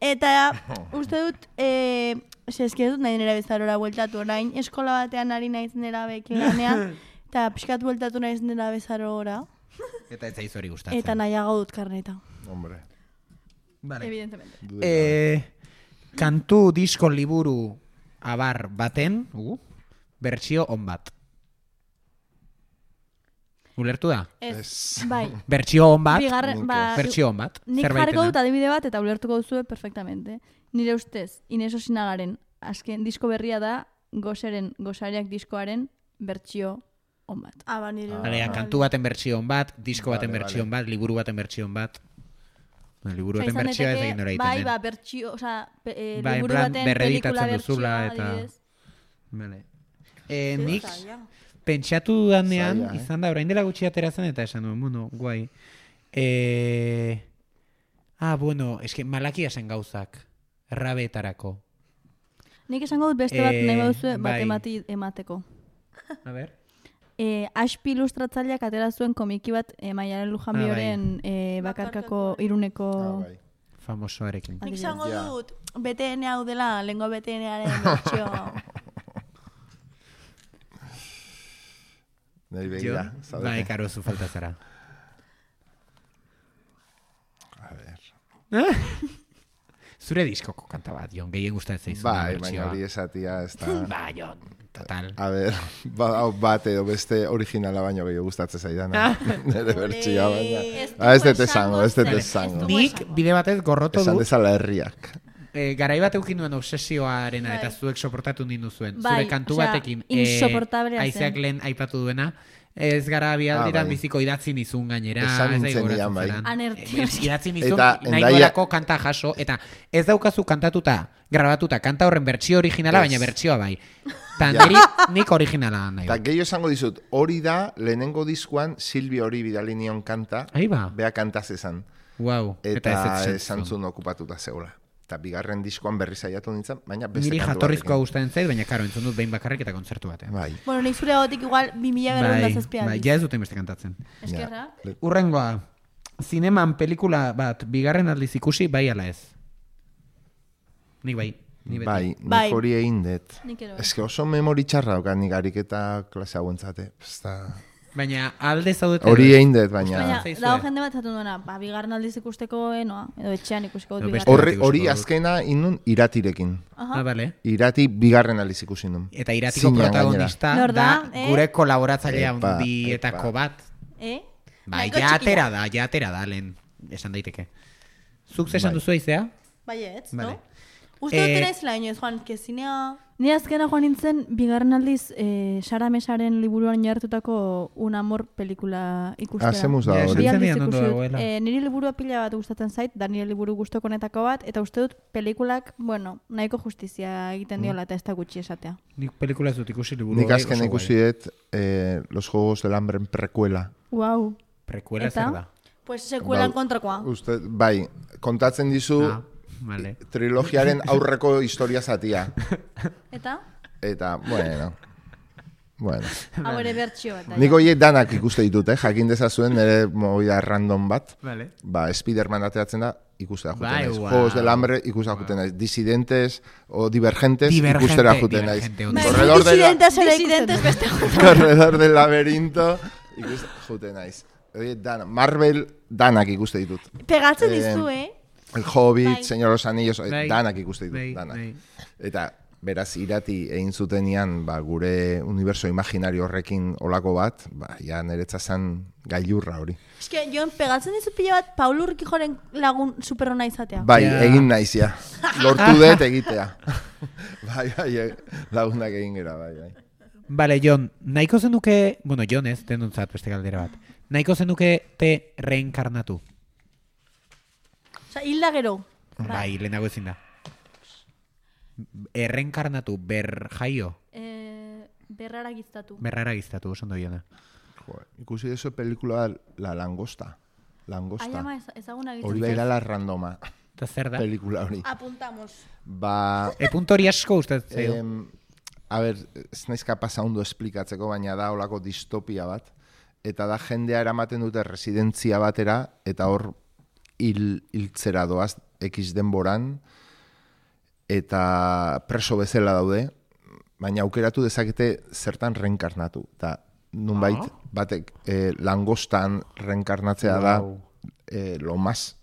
Eta uste dut, eh, eske dut nahi nera bezarora bueltatu orain, eskola batean ari naiz nera beke ganean, eta pixkat bueltatu naiz nera bezarora, Eta ez zaizu hori gustatzen. eta nahiago dut karneta. Hombre, Vale. Evidentemente. dude. Eh, kantu disko liburu abar baten, uh, bertsio on bat. Ulertu da? Ez, Ez. bai. Bertsio on bat, Bigarren, nik ba, bertsio on bat. nik zerbaitena. jarriko dut adibide bat eta ulertuko duzue perfectamente. Nire ustez, Ines Osinagaren azken disko berria da Goseren, Gosariak diskoaren bertsio on bat. Ah, ba, nire. Vale, kantu baten bertsio on bat, disko baten Vale, bertsio on bat, liburu baten bertsio on bat. Bueno, liburu baten Izan bertsioa ez daiteke, egin nora egiten bai, den. ba, bertsio, osea, pe- eh, Bai, en liburu plan, baten berreditatzen pelikula duzula bertsioa, eta- adibidez. Vale. Eh, nik Zaila. pentsatu dudanean, Zaila, eh? izan da, orain dela gutxi atera zen eta esan nuen, bueno, guai. Eh, ah, bueno, eske malakia zen gauzak, errabeetarako. Nik esango dut beste bat Eh, nahi baduzue bat bai. emati, emateko. A ber. Eh, Aspi ilustratzaileak atera zuen komiki bat eh, Maialen Lujanbioren eh, bakarkako iruneko... Ah, bai. Famosoarekin. Nik Adibidez. esango Ja. dut B T N hau dela, lengo B T N-aren bertsio... Nahi begira, Jon? zaudete. Bai, karo, zu falta zara. A ver. Zure diskoko kanta bat, Jon, gehien gustatzen zaizu. Bai, baina hori esatia ez da... Ba, Jon, total. A ber, ba, hau bat edo beste originala baino gehiago gustatzen zaidana. Nere bertsioa baina. Ah, ez dut esango, ez dut esango. Nik bide batez gorroto Esan du, dezala herriak. eh, garai bat eukin duen obsesioarena eta zuek soportatu nindu zuen. Bai, Zure kantu osea, batekin, insoportablea zen. Aizeak lehen aipatu duena, ez gara bialdiran Ah, bai. biziko idatzi nizun gainera. Esan ez nintzen daigu nian, bai. goratzen Anerti. zelan. Ez, idatzi nizun, Eta nahi Hendaia- nuelako kanta jaso, eta ez daukazu kantatuta, grabatuta, kanta horren bertsio originala, Ez. baina bertsioa bai. Ta Ja. niri nik originala nahi. Eta dut. gehiago esango dizut, hori da lehenengo diskuan Silvio hori bidali nion kanta, Ahí ba. bea kantaz esan. Wow. Eta ez ez esan zuen okupatuta zegoela. Eta bigarren diskoan berri saiatu nintzen, baina beste Niri kantu jatorrizkoa batekin. gustatzen zait, baina karo, entzun dut behin bakarrik eta kontzertu batean. Bai. Bueno, nik zure gotik igual bi mila berreunda Bai, zazpi bai, aldiz. ja ez duten beste kantatzen. Eskerra. Ja. Urrengoa, zineman pelikula bat bigarren aldiz ikusi, bai ala ez? Nik bai, ni beti. Bai, nik Bai. hori egin dut. Nik ere bai. Ez que oso memori txarra daukat nik ariketa klase hauentzate. Ezta- Baina alde zaudete... Hori egin dut, baina... Baina, zaizue. dago jende bat zatu duena, ba, bigarren aldiz ikusteko enoa, edo etxean ikusteko Edo dut beste- bigarren. Horre, ikusiko hori dut. azkena inun iratirekin. Ah, bale. Irati bigarren aldiz ikusi nun. Eta iratiko Zinean protagonista Nor da, da, eh? gure kolaboratzailea Epa, handietako epa. bat. Eh? Bai, Nahiko ja txikia. atera da, ja atera da, lehen, esan daiteke. Zuk zesan Bai. duzu aizea? Baietz, Vale. no? Uste Eh, dut naiz laino ez, Juan, kezinea... Ni azkena joan nintzen, bigarren aldiz, eh, Sara Mesaren liburuan jartutako Un Amor pelikula ikustera. Hacemos da Ja, hori. esan Bi aldiz zenidan ondo ikusi dut. dagoela. Eh, niri liburua pila bat gustatzen zait, da nire liburu gustokonetako bat, eta uste dut pelikulak, bueno, nahiko justizia egiten diola eta ez da gutxi esatea. Nik pelikula ez dut ikusi liburu. Nik bai, azken oso ikusi guai. dut eh, Los Juegos del Hambre precuela. Wow. Prekuela Eta? zer da? Pues sekuelan Ba, kontrakoa. Uste, bai, kontatzen dizu Ah, vale. trilogiaren aurreko historia zatia. Eta? Eta, bueno... Bueno. Hau ere bertxio bat. Nik horiek danak ikuste ditut, eh? Jakin dezazuen nire movida random bat. Vale. Ba, Spiderman ateratzen da, ikustea juten Bai, naiz. wow. Juegos del Hambre ikustea juten naiz. Disidentes o divergentes Divergente, ikustera juten naiz. divergente, ondo. Corredor, de la, Disidentes ere ikusten beste corredor del laberinto ikustera juten naiz. Horiek danak, Marvel danak ikuste ditut. Pegatzen Eh, dizu, eh? El Hobbit, Bai. Señor de los Anillos, eh, Bai. danak ikuste ditut, Bai, danak. bai. Eta beraz irati egin zutenian ba, gure universo imaginario horrekin olako bat, ba, ja niretza zen gailurra hori. Eske, Jon, pegatzen dizu pila bat Paul Urquijoren lagun superona izatea. Bai, Ja. egin naiz, ja. Lortu dut egitea. bai, bai, e- lagunak egin gera, bai, bai. Vale, Jon, nahiko zenuke, bueno, Jon ez, denontzat beste galdera bat. Nahiko zenuke te reenkarnatu. Osa, hilda gero. Bai, lehenago ezin da. Erreenkarnatu, ber jaio, Eh, berrara giztatu. berrara giztatu, oso ondo Jona. Joder, ikusi dezu pelikula La Langosta. Ai, Langosta. ama, ez- ezaguna Hori egiten. baila la randoma, Eta zer da? pelikula hori. Apuntamos. Ba, E punto hori asko gustatzen zaio. em, a ber, ez naiz kapasa ondo esplikatzeko, baina da olako distopia bat. Eta da jendea eramaten dute residentzia batera, eta hor hil, hiltzera doaz, X denboran, eta preso bezala daude, baina aukeratu dezakete zertan reenkarnatu. Eta nunbait, Ah. batek eh, langostan reenkarnatzea da Wow. eh, lo más.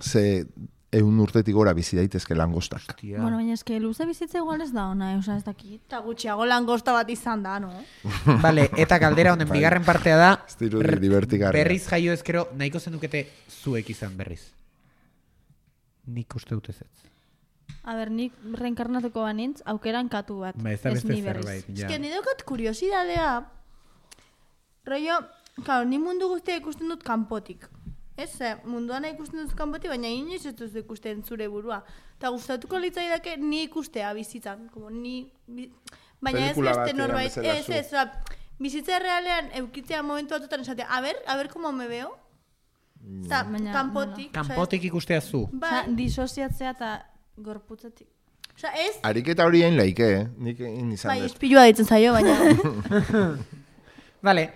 Ze eun urtetik gora bizi daitezke langostak. Tia. Bueno, baina eske luze bizitza igual ez da ona, osea ez dakit. Eta gutxiago langosta bat izan da, no? Vale, eta galdera honen bigarren partea da, Ez dirudi r- divertigarria. berriz jaio ezkero, nahiko zenukete zuek izan berriz. Nik uste dut ez ez. A ber, nik reenkarnatuko banintz, aukeran katu bat. Ba, ez da beste ni berriz. zerbait. Ez Ja. que ni daukat kuriosidadea, rollo, claro, ni mundu guztia ikusten dut kanpotik. Ez, ze, munduan ikusten dut kanpotik, baina inoiz ez duzu ikusten zure burua. Eta gustatuko litzaidake ni ikustea bizitzan, como ni... Bi... Baina ez Pelikula beste batean norbait, bezala ez, zu. ez, oza, bizitza realean eukitzea momentu batutan esatea, a ver, a ver como me veo. Eta, Baina, kanpotik, osea, Kanpotik ikustea zu. Bai, Osea, disoziatzea eta gorputzetik. osea, ez, Ariketa hori egin laike, eh? Nik egin izan bai, dut. espilua ditzen zaio, baina... Vale,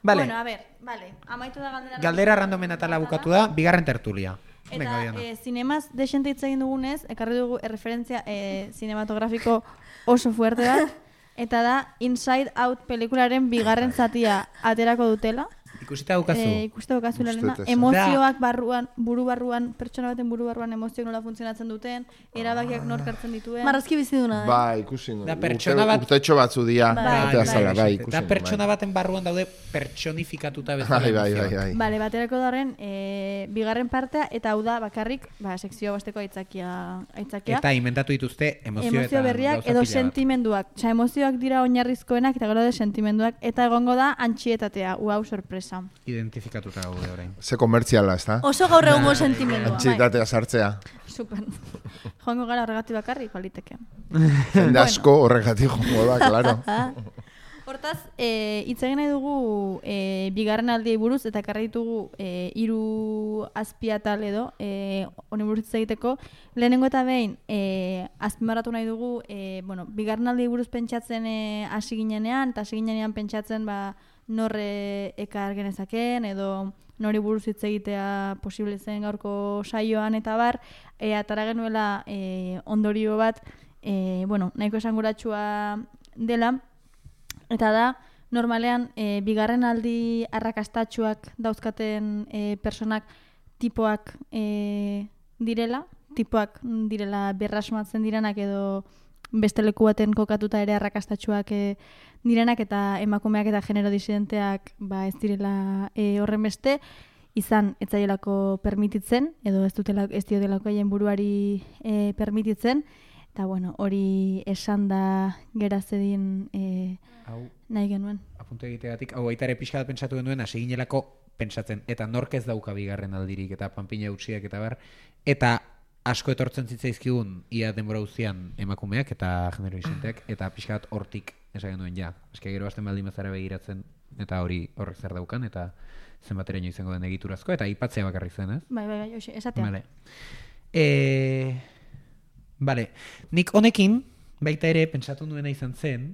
vale. Bueno, a ver, vale, amaitu da galdera. Galdera randomen atala bukatu da, bigarren tertulia. Venga, Eta Diana. e, zinemaz desente hitz egin dugunez, ekarri dugu erreferentzia e, cinematografiko oso fuerte bat, eta da Inside Out pelikularen bigarren zatia aterako dutela. Ikusita daukazu. Eh, ikuste daukazu Uste lehena. dut esan. Emozioak barruan, buru barruan, pertsona baten buru barruan emozioak nola funtzionatzen duten, erabakiak nork hartzen dituen. Marrazki biziduna, eh? Ba, ikusi nu. Da pertsona bat- Urtetxo batzu dia. Bai, Bai, bai, azala, bai, ikusi Da nu, pertsona bai. baten barruan daude pertsonifikatuta bezala. Bai, bai, bai, emozioak. bai. Bale, baterako darren, e, bigarren partea, eta hau da bakarrik, ba, sekzio basteko aitzakia, aitzakia. Eta inventatu dituzte emozio, emozio eta berriak gauza edo pila bat. sentimenduak. Osea, emozioak dira oinarrizkoenak eta gero de sentimenduak. Eta egongo da antxietatea, uau sorpresa. Identifikatuta gaude orain. Ze komertziala, ez da? Oso gaur egungo sentimendua. Antxietatea sartzea. Super. Joango gara horregatik bakarrik, baliteke. Jende asko horregatik jongo da, claro. Hortaz, e, hitz egin nahi dugu e, bigarren aldiei buruz, eta ekarri ditugu e, hiru azpiatal edo, e, honi buruz hitz egiteko. Lehenengo eta behin, e, azpimarratu nahi dugu, e, bueno, bigarren aldiei buruz pentsatzen e, hasi ginenean, eta hasi ginenean pentsatzen ba, norre ekar genezaken, edo nori buruz hitz egitea posible zen gaurko saioan eta bar, e, atara genuela e, ondorio bat, e, bueno, nahiko esanguratsua dela, eta da, normalean, e, bigarren aldi arrakastatsuak dauzkaten e, personak tipoak e, direla, tipoak direla berrasmatzen direnak edo beste leku baten kokatuta ere arrakastatsuak e, direnak eta emakumeak eta genero disidenteak ba, ez direla e, horren beste, izan ez zaielako permititzen, edo ez dutela ez diotelako haien buruari e, permititzen, eta bueno, hori esan da gerazedin e, Hau, nahi genuen. apuntu egiteagatik, hau baita ere pixka bat pentsatu genuen, hasi ginelako pentsatzen, eta nork ez dauka bigarren aldirik, eta panpina utziak eta bar, eta asko etortzen zitzaizkigun ia denbora guztian emakumeak eta genero isenteak, eta pixka bat hortik esan genuen ja. Eske gero hasten baldin bazara begiratzen, eta hori horrek zer daukan, eta zenbateraino izango den egiturazko, eta aipatzea bakarrik zen, ez? Bai, bai, bai, hoxe, esatea. Vale. E... Vale. Nik honekin, baita ere, pentsatu nuena izan zen,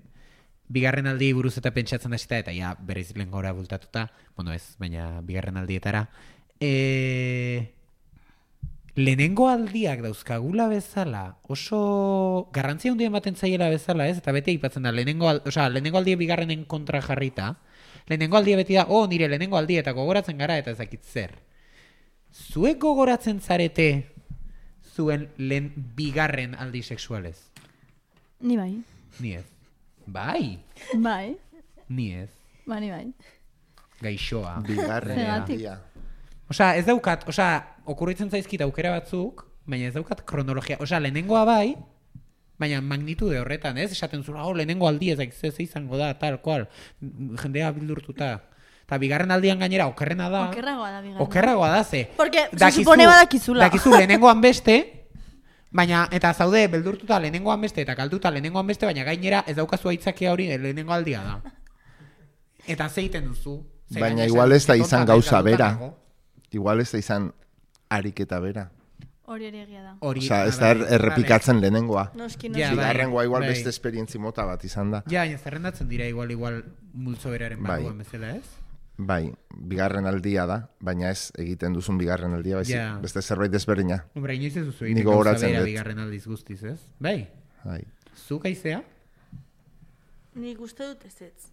bigarren aldi buruz eta pentsatzen hasita eta ja, berriz lehen gora bultatuta, bueno ez, baina bigarren aldietara, e... lehenengo aldiak dauzkagula bezala, oso garrantzia hundien baten zaiela bezala, ez? Eta bete aipatzen da, lehenengo, al... Osea, lehenengo aldia bigarrenen kontra jarrita, lehenengo aldia beti da, oh, nire lehenengo aldia eta gogoratzen gara eta ezakit zer. Zuek gogoratzen zarete zuen lehen bigarren aldi sexualez? Ni bai. Ni ez. Bai, Bai, ni ez. ba, ni bai. Gaixoa. Bigarren Zergatik? aldia. Osea, ez daukat, osea, okurritzen zaizkit aukera batzuk, baina ez daukat kronologia. Osea, lehenengoa bai, baina magnitude horretan, ez? Esaten zura, oh, lehenengo aldi ez ez izango da, tal, kual, jendea bildurtuta. Eta bigarren aldian gainera, okerrena da. Okerragoa da bigarren. Okerragoa da, ze. Porque se Dakizu- supone badakizula. Dakizu lehenengoan beste, baina, eta zaude, beldurtuta lehenengoan beste, eta kalduta lehenengoan beste, baina gainera ez daukazu aitzakia hori lehenengo aldia da. Eta zeiten duzu. Ze Baina gainera igual ez da esan, izan "Konta, gauza galduta bera. nago". Igual ez da izan ariketa bera. Hori ere egia da. Hori, Osea, ez ah, da bai, er- errepikatzen lehenengoa. Noski, Ja, noski. bai, Bigarrengoa igual bai. beste esperientzi mota bat izan da. Ja, baina zerrendatzen dira igual igual multzo beraren Bai. barruan bezala, ez? Bai, bigarren aldia da, baina ez egiten duzun bigarren aldia, baizik Ja. beste zerbait desberdina. Hombre, inoiz ez duzu Ni egiten gauza gogoratzen bera dut. bigarren aldiz guztiz, ez? Bai, Bai. zuk aizea? Nik uste dut ez ez.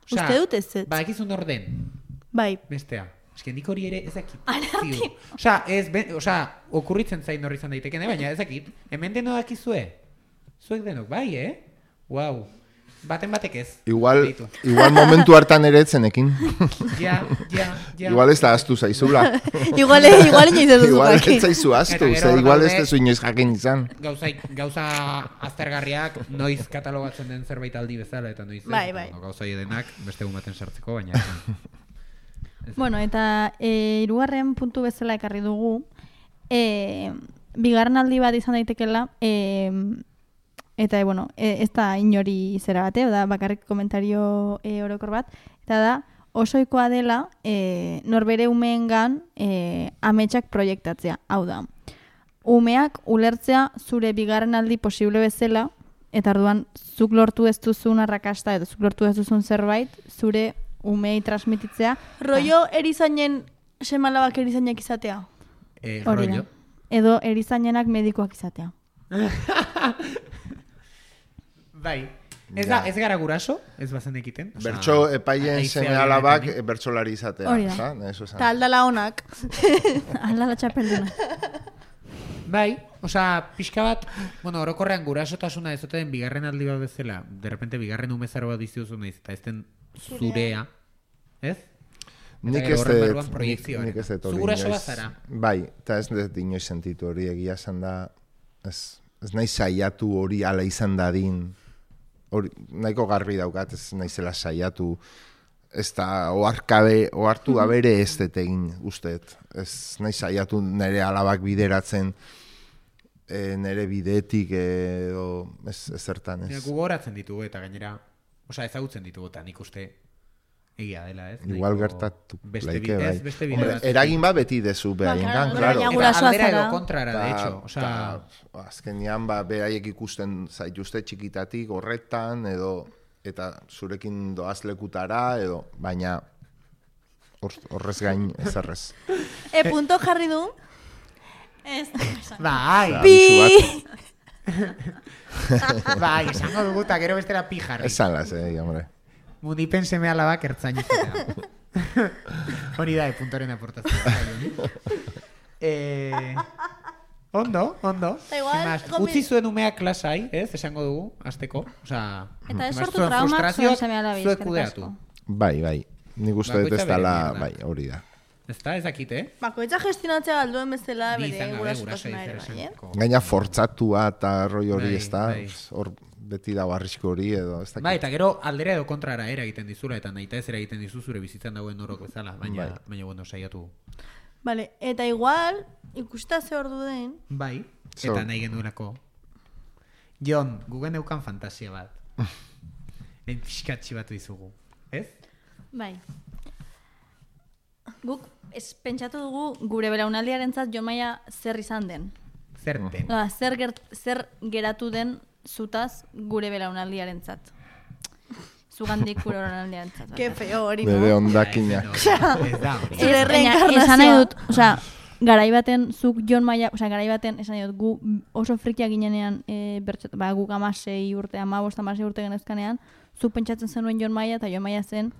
Osea, Uste dut ez ez. badakizun orden, Bai. bestea. Eske nik hori ere ez dakit. Ziur. Osea, ez, ben, osea, okurritzen zain horri izan daitekene, baina ez dakit. Hemen deno dakizue? Zuek denok, bai, eh? Wow. Baten batek ez. Igual, Beitu. igual momentu hartan ere etzenekin. Ja, ja, ja. Igual ez da astu zaizula. Igual, igual inoiz ez duzu Igual jakin. ez zaizu astu, Eta gero ze hor igual ez daude- tezu inoiz jakin izan. Gauza, gauza aztergarriak noiz katalogatzen den zerbait aldi bezala eta noiz ez. Bai, Eta, bai. bueno, gauza denak beste egun baten sartzeko, baina ez. Bueno, eta e, hirugarren puntu bezala ekarri dugu, e, bigarren aldi bat izan daitekela, e, eta, e, bueno, e, ez da inori zera bate, da bakarrik komentario e, orokor bat, eta da, osoikoa dela e, norbere umeengan e, ametsak proiektatzea. Hau da, umeak ulertzea zure bigarren aldi posible bezala, eta orduan zuk lortu ez duzun arrakasta edo zuk lortu ez duzun zerbait, zure umei transmititzea. Rollo erizainen semalabak erizainak izatea. Eh, Hori da. rollo. Edo erizainenak medikoak izatea. Bai. Ez, da, ez gara guraso, ez bazen ekiten. Bertso epaien seme alabak bertsolari izatea. Hori da. Eta aldala honak. Aldala txapelduna. Bai, osea, pixka bat, bueno, orokorrean gurasotasuna ez oten bigarren aldi bat bezala, de repente bigarren umezaro bat dizuzu nahiz, eta ez den zurea, ez? Nik ez dut, nik ez dut hori guraso inoiz. bazara. Bai, eta ez dut inoiz sentitu hori egia esan da, ez, ez nahi saiatu hori ala izan dadin, hori, nahiko garbi daukat, ez naizela saiatu, ez da, oarkabe, oartu abere ez dut egin, usteet. Ez nahi saiatu nire alabak bideratzen, e, nire bidetik edo, ez, ez zertan, ez. Ja, gugoratzen ditugu eta gainera, osea, ezagutzen ditugu eta nik uste egia dela, ez? Igual Nahiko gertatu beste laike, bide, bai. ez, beste bide Hombre, bat. eragin bat beti dezu behaien, claro. Eta aldera edo kontrara, de hecho. Osea, Ta, azkenean, ba, beraiek ikusten zaituzte txikitatik horretan, edo, eta zurekin doaz lekutara, edo, baina horrez gain ezerrez. E, punto jarri du. Ez. bai, Pi! bai, esango dugu eta gero bestera pi jarri. Esan las, eh, hombre. Munipen seme alabak ertzain izatea. Hori da, puntoren aportazioa. eh, ondo, ondo. Da igual, Sin más, gomi- utzi zuen umeak klasai, ez, esango dugu, azteko. Osea, Eta ez sin más, sortu zuen traumak frustrazioak zuen seme alabi, zuek eskerrik kudeatu. asko. Bai, bai. Nik uste dut Bakoitza ez dela, bere mierda. bai, hori da. Ez da, ez dakit, eh? Bakoitza gestionatzea galduen bezala Bi bere izan gabe, guraso gurasotasuna ere, bai, eh? diferenteko. Gaina fortzatua eta roi hori Bai, ez da, bai. hor beti dago arrisku hori edo, ez dakit. Bai, eta gero aldera edo kontrara era egiten dizula, eta nahi ez era egiten dizu zure bizitzan dagoen norok bezala, baina, Bai. baina bueno, saiatu. Vale, eta igual, ikusta ze ordu den, Bai, Zo. eta nahi genuelako. Jon, gugen eukan fantasia bat. Lehen pixkatxi batu izugu, ez? Bai. Guk ez pentsatu dugu gure belaunaldiarentzat Jon Maia zer izan den. Zer den. Oda, zer, gert, zer geratu den zutaz gure belaunaldiarentzat. Zugandik gure belaunaldiarentzat. que feo hori, Nere no? ondakinak. Ez da hori. Zure Ez, baina reenkarnazioa. esan nahi dut, osea, garai baten zuk Jon Maia, osea, garai baten esan nahi dut, gu oso frikiak ginenean, e, bertxot, ba, guk amasei urte, amabost, amasei urte genezkanean, zuk pentsatzen zenuen Jon Maia, eta Jon Maia zen,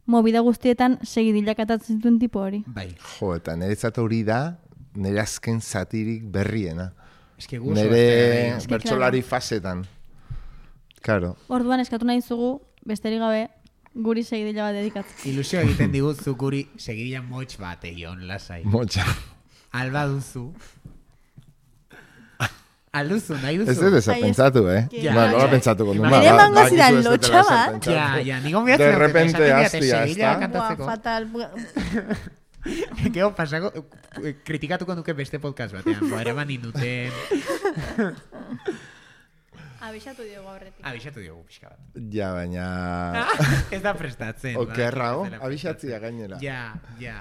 movida guztietan segidilak atatzen zituen tipo hori. Bai, Jo, eta niretzat hori da, nire azken zatirik berriena. eske gu oso Nire azterra Eske, bertsolari fasetan. Claro. Orduan eskatu nahi zugu, besterik gabe, guri segidila bat dedikatzen. ilusio egiten diguzu guri segidila motx bat egion, lasai. Motxa. Alba duzu. Alduzu, nahi duzu. Ez dut ezer Ai, ez- pentsatu, eh? Ja, Ba, nola ja. pentsatuko nuen. Nire Ba, emango ba, zidan dakizu ez dutela lotxa ezer bat. pentsatu. Ja, ja, nigo miatzen. De repente hastia, ez da? Buah, kantatzeko. fatal. Gero pasako, eh, kritikatuko nuke beste podcast batean. Boa, eraman induten. Abisatu diogu aurretik. Abixatu diogu pixka bat. Ja, baina... Ez da prestatzen. Okerra, ba, oh? ez dela Abixatzia prestatzen. gainera. Ja, ja.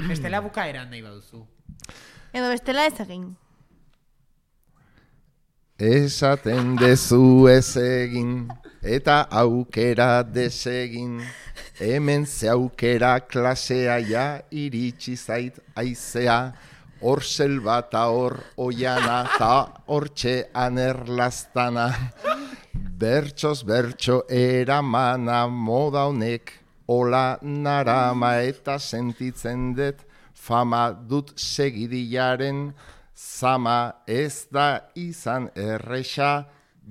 Bestela bukaeran nahi baduzu. Edo bestela ez egin. Esaten dezu ez egin, eta aukera desegin. Hemen ze aukera klasea ja iritsi zait aizea. Hor selba eta hor oiana, eta hortxe anerlaztana. Bertsoz bertso eramana moda honek, ola narama eta sentitzen dut, fama dut segidilaren, zama ez da izan erresa,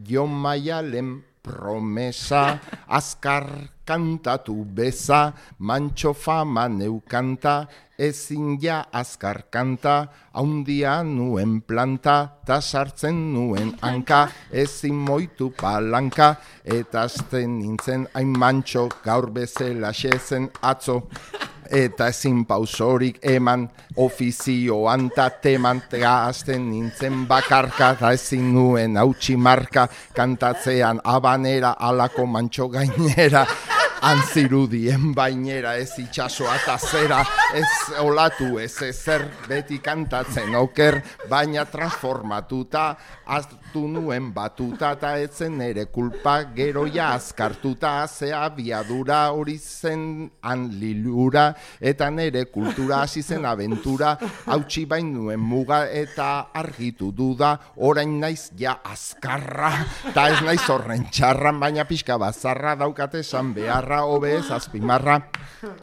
Jon Maialen promesa, azkar kantatu beza, mantxo fama neukanta, ezin ja azkar kanta, haundia nuen planta, ta sartzen nuen hanka, ezin moitu palanka, eta azten nintzen hain mantxo, gaur bezala xezen atzo. Eta ezin pausorik eman, ofizioan ta teman, gazten nintzen bakarka, eta ezin nuen hautsi marka, kantatzean abanera alako mantxo gainera, Antzirudien bainera ez itxasoa eta zera, ez olatu ez ezer beti kantatzen oker, baina transformatuta, hartu nuen batuta eta etzen ere kulpa geroia azkartuta, ze abiadura hori zen anlilura, eta nere kultura hasi zen abentura, hautsi bain nuen muga eta argitu duda, orain naiz ja azkarra, eta ez naiz horren txarra, baina pixka bazarra daukate esan beharra, hobe ez azpimarra,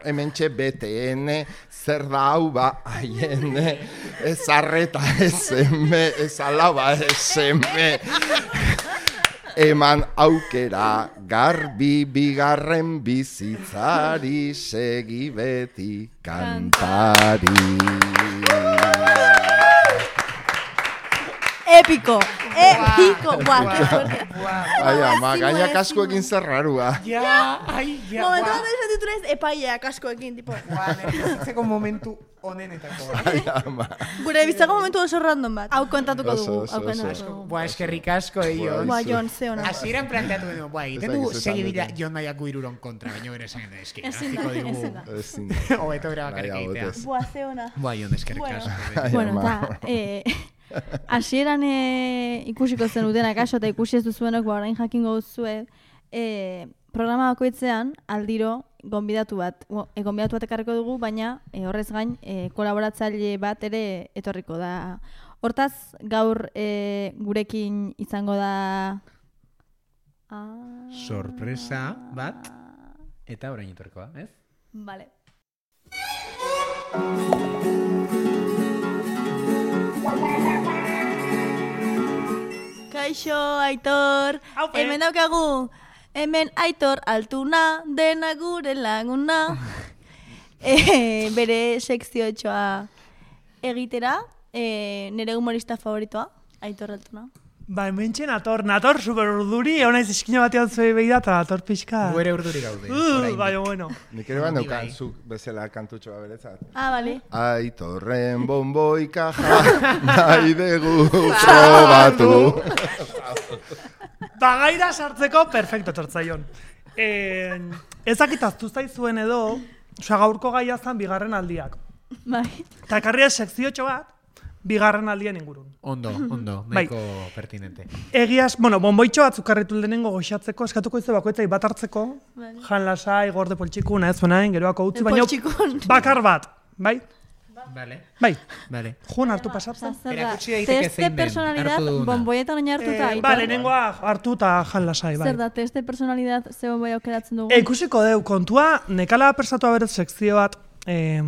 hementxe B T N, zer da hau ba, haien, ez arreta ez eme, ez alaba ez eme, eman aukera garbi bigarren bizitzari, segi beti kantari. Epiko, epiko, guau, que fuerte. Ai, ama, gaina kaskoekin zer rarua. Ja, ai, ja, Momentu bat esan ditu naiz epaia kaskoekin, tipo. Bizitzeko momentu onenetako. Ai, ama. Gure bizitzako momentu oso random bat. Hau kontatuko Oso, dugu, oso, hau oso. kontatuko dugu. Boa, eskerrik asko, eh, Jon. Boa, Jon, ze ona. Hasieran planteatu genuen, boa, egiten Ez dugu dakizu segi esan dira dute. Jon Nahiako iruron kontra, baina bere esan eski. Ezin da, Aziko digu, ezin da. Ezin da. hobeto bera bakarrik Nahiago egitea. dez. Boa, ze ona. Boa, Jon, eskerrik Bueno. asko. Ai, Bueno, ama. eta, eh, hasieran eh, ikusiko zenuten akaso eta ikusi ez duzuenok, ba, orain jakingo duzue, eh, programa bakoitzean aldiro gonbidatu bat, bo, e, gonbidatu bat ekarriko dugu, baina e, horrez gain e, kolaboratzaile bat ere etorriko da. Hortaz, gaur e, gurekin izango da... Ah, Sorpresa bat, eta orain etorriko da, ez? Vale. Kaixo, Aitor. Aupe. Hemen daukagu. Hemen Aitor altuna, dena gure laguna. e, bere sekziotxoa egitera. E, nire humorista favoritoa, Aitor altuna. Ba, hementxe nator, nator super urduri, egon naiz eskina batean zuei behida eta nator pixka. Gu ere urduri gaude. Uh, oraindik. bai, bueno. Nik ere ban Bai. neukan zuk bezala kantutxoa beretzat. Ah, bale. Aitorren bonboika ja, nahi dugu probatu. Bagaira sartzeko, perfecto tortzaion. Eh, ezakit aztu zaizuen edo, osea, gaurko gaia zan bigarren aldiak. Bai. Eta ekarria sekziotxo bat, bigarren aldien ingurun. Ondo, ondo, Bai. nahiko pertinente. Egiaz, bueno, bonboitxo batzuk karritu lehenengo goxatzeko, eskatuko izu bakoitzai bat hartzeko, Vale. jan lasai, gorde poltsikun, ez zuenain, geroako utzi, baina Poltsikun. bakar bat, bai? Vale, Bai, vale. juan hartu pasatzen. Zer da, Erakutsi daiteke teste zein den, personalidad, hartu duguna. bonboietan oin hartuta, Eh, Aitor? ba, lehenengoa hartu eta jan lasai, bai. Zer da, teste personalidad ze bonboi aukeratzen dugu? E, ikusiko deu, kontua, nekala persatua berez sekzio bat eh,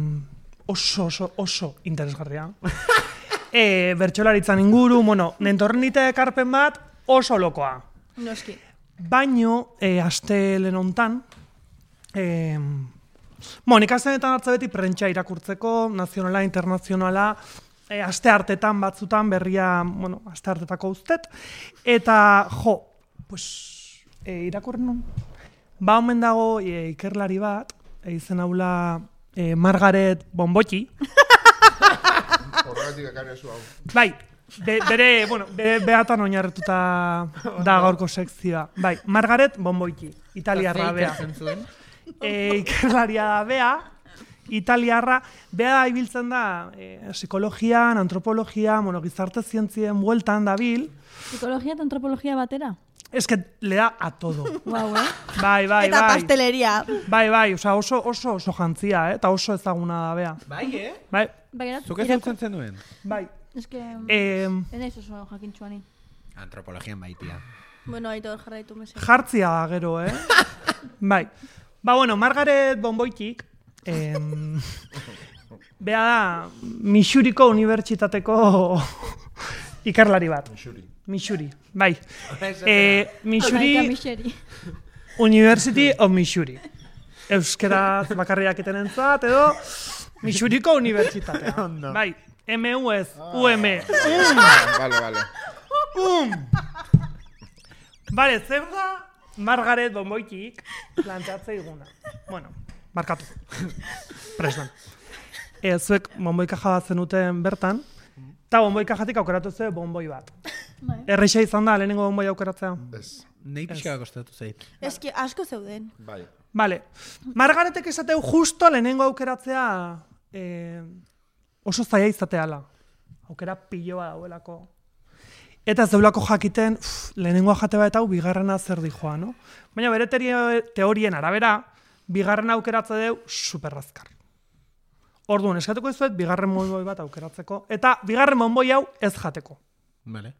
oso, oso, oso interesgarria. e, bertsolaritzan inguru, bueno, nentorren dite ekarpen bat oso lokoa. Noski. Baino, e, aste lenontan, e, bueno, ikastenetan hartza beti prentsa irakurtzeko, nazionala, internazionala, e, aste hartetan batzutan berria, bueno, aste hartetako uztet, eta, jo, pues, e, irakurren nun. Ba, omen dago e, ikerlari bat, e, izen haula e, Margaret Bonboti, Horregatik ekarri zu hau. bai, be, bere, bueno, bere beatan oinarretuta da gaurko sekzioa. Bai, Margaret Bonboiti, italiarra Eta ze bea. ikertzen zuen? E, ikerlaria da bea, italiarra, bea da ibiltzen da e, psikologian, antropologia, bueno, gizarte zientzien bueltan dabil, Psikologia eta antropologia batera? es que le da a todo. Guau, eh? Bai, bai, Eta bai. pasteleria. Bai, bai, osea, oso, oso, oso jantzia, eh? Eta oso ezaguna da bea. Bai, eh? Bai, Bagerat, Zuk ez dutzen zenuen? bai. Ez que... E, Enaiz oso jakintxuani. Antropologian baitia. Bueno, Aitor, jarraitu mese. jartzia da gero, eh? Bai. Ba, bueno, Margaret Bonboitik, em, bea da, Missouriko unibertsitateko ikerlari bat. Missouri. Missouri, bai. Eh, Missouri, Olaika Mixeri. University of Missouri. Euskeraz bakarriak etenentzat, edo Missouriko unibertsitatea. Bai, M U ez, U M. Ah, vale, vale. Um! Bale, zer da Margaret Bonboitik planteatze iguna. Bueno, barkatu. Prestan. E, zuek bonboikaja bat zenuten bertan, eta bonboikajatik aukeratu zuen bonboi bat. Bai. Erreixa izan da, lehenengo bonboi aukeratzea. Ez. Nei pixka kostatu zait. Eski asko zeuden. Bai. Vale. Margaretek esateu justo lehenengo aukeratzea eh, oso zaila izateala. Aukera piloa dauelako. Eta ez deulako jakiten, uf, lehenengoa jate bat hau bigarrena zer dijoa, no? Baina bere teorien arabera, bigarrena aukeratze deu superrazkar. Orduan, eskatuko izuet, bigarren monboi bat aukeratzeko, eta bigarren monboi hau ez jateko. Vale.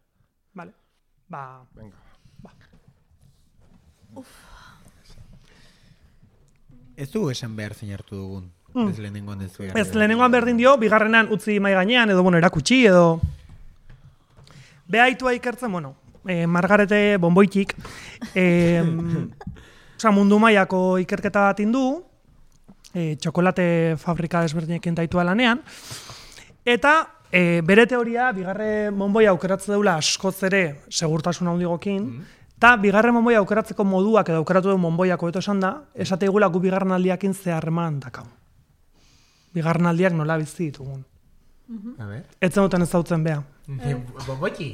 Vale. Ba... Venga. Ez du esan behar zein hartu dugun. Mm. Ez lehenengoan ez du. Ez lehenengoan berdin dio, bigarrenan utzi mai gainean, edo bueno, erakutsi, edo... Behaitua ikertzen, bueno, eh, Margarete bonboitik, eh, oza, mundu mailako ikerketa bat indu, eh, txokolate fabrika desberdinekin daitua lanean, eta eh, bere teoria, bigarren bonboi aukeratze deula askoz ere segurtasun handigokin, eta bigarren bonboi aukeratzeko moduak edo aukeratu duen bonboiako beto esan da, esate igula gu bigarren aldiakin zeharreman dakau. Bigarren aldiak nola bizi ditugun. A ver. Etzen duten ezautzen beha. Bombotxi.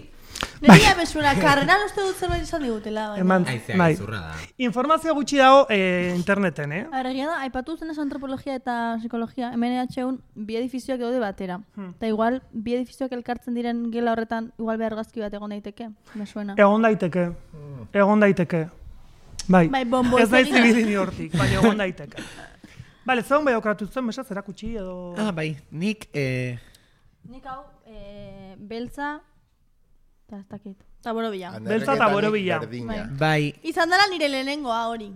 Neria bezura, karreran uste dut zerbait izan digutela. baina. Eman, Aizeak bai. izurra da. Informazio gutxi dago eh, interneten, eh? Arregia da, aipatu zen ez antropologia eta psikologia, hemen ehatxeun bi edifizioak daude batera. Eta igual, bi edifizioak elkartzen diren gela horretan, igual behargazki bat egon daiteke, me suena. Egon daiteke. Egon daiteke. Bai. Bai, bonboi Ez naiz zegin. ibili ni hortik, baina egon daiteke. Bale, zegoen bai aukeratu zen, mesaz, erakutsi edo... Ah, bai. Nik, eh, Nik hau, e, beltza, eta ez dakit. Eta borobila. Beltza eta borobila. Berdina. bai. Izan dela nire lehenengoa hori.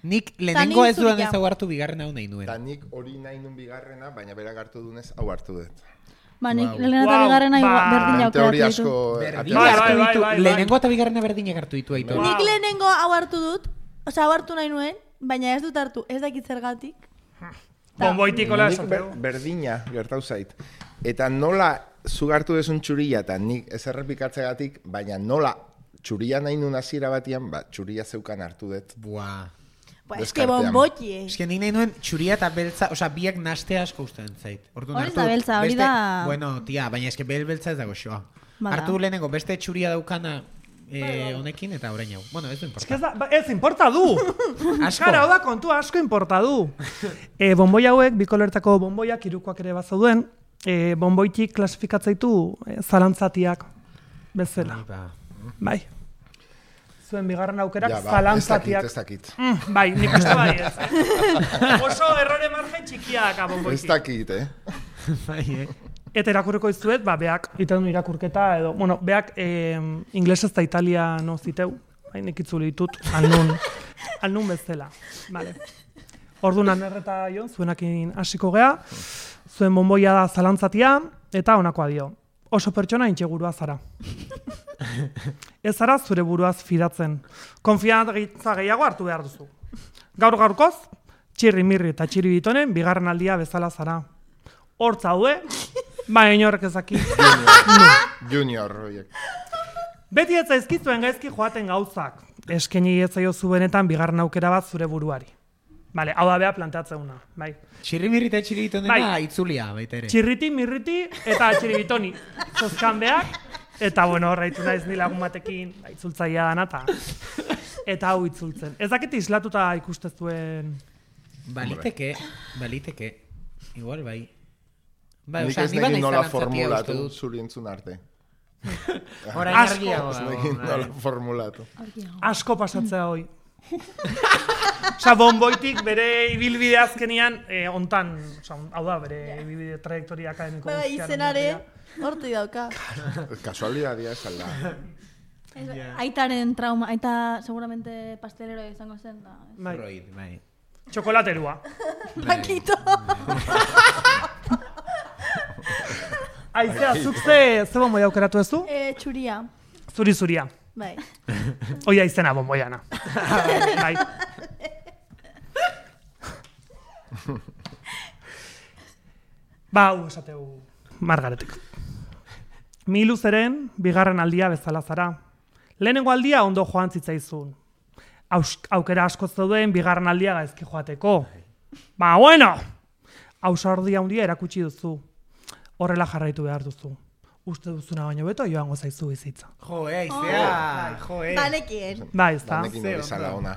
Nik lehenengo ez duan zuria. ez hau hartu bigarren hau nahi nuen. Eta nik hori nahi nun bigarrena, baina berak hartu dunez, hau hartu dut. Ba, nik Wow. lehena eta Wow, bigarrena ba. berdina Teoria aukeratu asko... ditu. Berdina Bai, hartu bai, bai, ditu. bai, bai. Lehenengo eta bigarrena berdinak hartu ditu Aitor. Wow. Nik lehenengo hau hartu dut, osea, hau hartu nahi nuen, baina ez dut hartu, ez dakit zergatik. Bonboitikola Nik esateu. ber, berdina gertau zait. Eta nola zugartu desun txuria, eta nik ez errepikatzegatik, baina nola txuria nahi nun hasiera batian, ba, txuria zeukan hartu dut. Buah. Ba, eske Deskartean. bonboti, eh. Eske nik nahi nuen txuria eta beltza, osea, biak nastea asko usten zait. Orduan Hori ez hartu da beltza, hori beste- da- Bueno, tia, baina eske bel beltza ez dago xoa. Bada. Hartu lehenengo beste txuria daukana eh, honekin eta orain hau. Bueno, ez du Ez, importa. da, ba, ez importa du! Asko. Kara, hau da kontua asko importa du. E, bonboi hauek, bi koloretako bonboiak, hirukoak ere bazauden, e, bonboitik klasifikatzaitu e, zalantzatiak bezala. Ai, ba. Bai. Zuen bigarren aukerak Ja, ba, ez dakit, zalantzatiak. ez dakit. Mm, bai, nik uste bai ez. Eh? Oso errore margen txikiak Ez bonboitik. dakit, eh? Bai, eh. Eta irakurriko izuet, ba, beak, iten du irakurketa, edo, bueno, beak eh, inglesez eta italiano ziteu, hain ikitzuli ditut, alnun, alnun bezala. Vale. Orduan anerreta jo, zuenakin hasiko gea, zuen bonboia da zalantzatia, eta honakoa dio. Oso pertsona intxegurua zara. Ez zara zure buruaz fidatzen. Konfiantza gehiago hartu behar duzu. Gaur gaurkoz, txirri mirri eta txiri bitonen bigarren aldia bezala zara. Hortz haude, ba inorrek ezaki. Junior, horiek. Beti ez zaizkizuen gaizki joaten gauzak. Eskeni ez zaiozu benetan bigarren aukera bat zure buruari. Bale, hau da beha planteatzeuna, bai. Txirrimirri eta txiribitonena Bai. itzulia baita ere. Txirriti, mirriti eta txiribitoni. Zozkan beak, eta bueno, horreitu naiz ni lagun batekin, ba, itzultzaia dana, eta eta hau itzultzen. Ez dakit islatuta ikustezuen... Baliteke, baliteke. Igual bai. Bai, Nik osea, ez ni banaiz nekin nola zalantzatia uste formulatu dut. zuri entzun arte. Orain Asko. argiago Ez dago, nekin bai. nola formulatu. Asko pasatzea hoi. Osa, bonboitik bere ibilbide azkenian, eh, ontan, osa, hau da, bere ibilbide trajektoria akademiko. Bai, guztiaren izenare, berria. hortik dauka. Kasualidadia ez alda. Aitaren trauma, aita seguramente pastelero izango zen. Da. Bai, Freud, bai. txokolaterua. Paquito. Aizea, zuk ze, ze bonboi aukeratu ez du? Eh, txuria. Zuri zuria. Bai. Oia izena bonboiana. Bai. Ba, hau esateu Margaretik. Milu zeren, bigarren aldia bezala zara. Lehenengo aldia ondo joan zitzaizun. Aus, aukera asko zeuden bigarren aldia gaizki joateko. Ba, bueno! Ausardia handia erakutsi duzu. Horrela jarraitu behar duzu. uste duzuna baino beto joango zaizu bizitza. Jo, eh, aizea, jo, eh. Banekien. Bai, ez da. Danekin hori zala ona.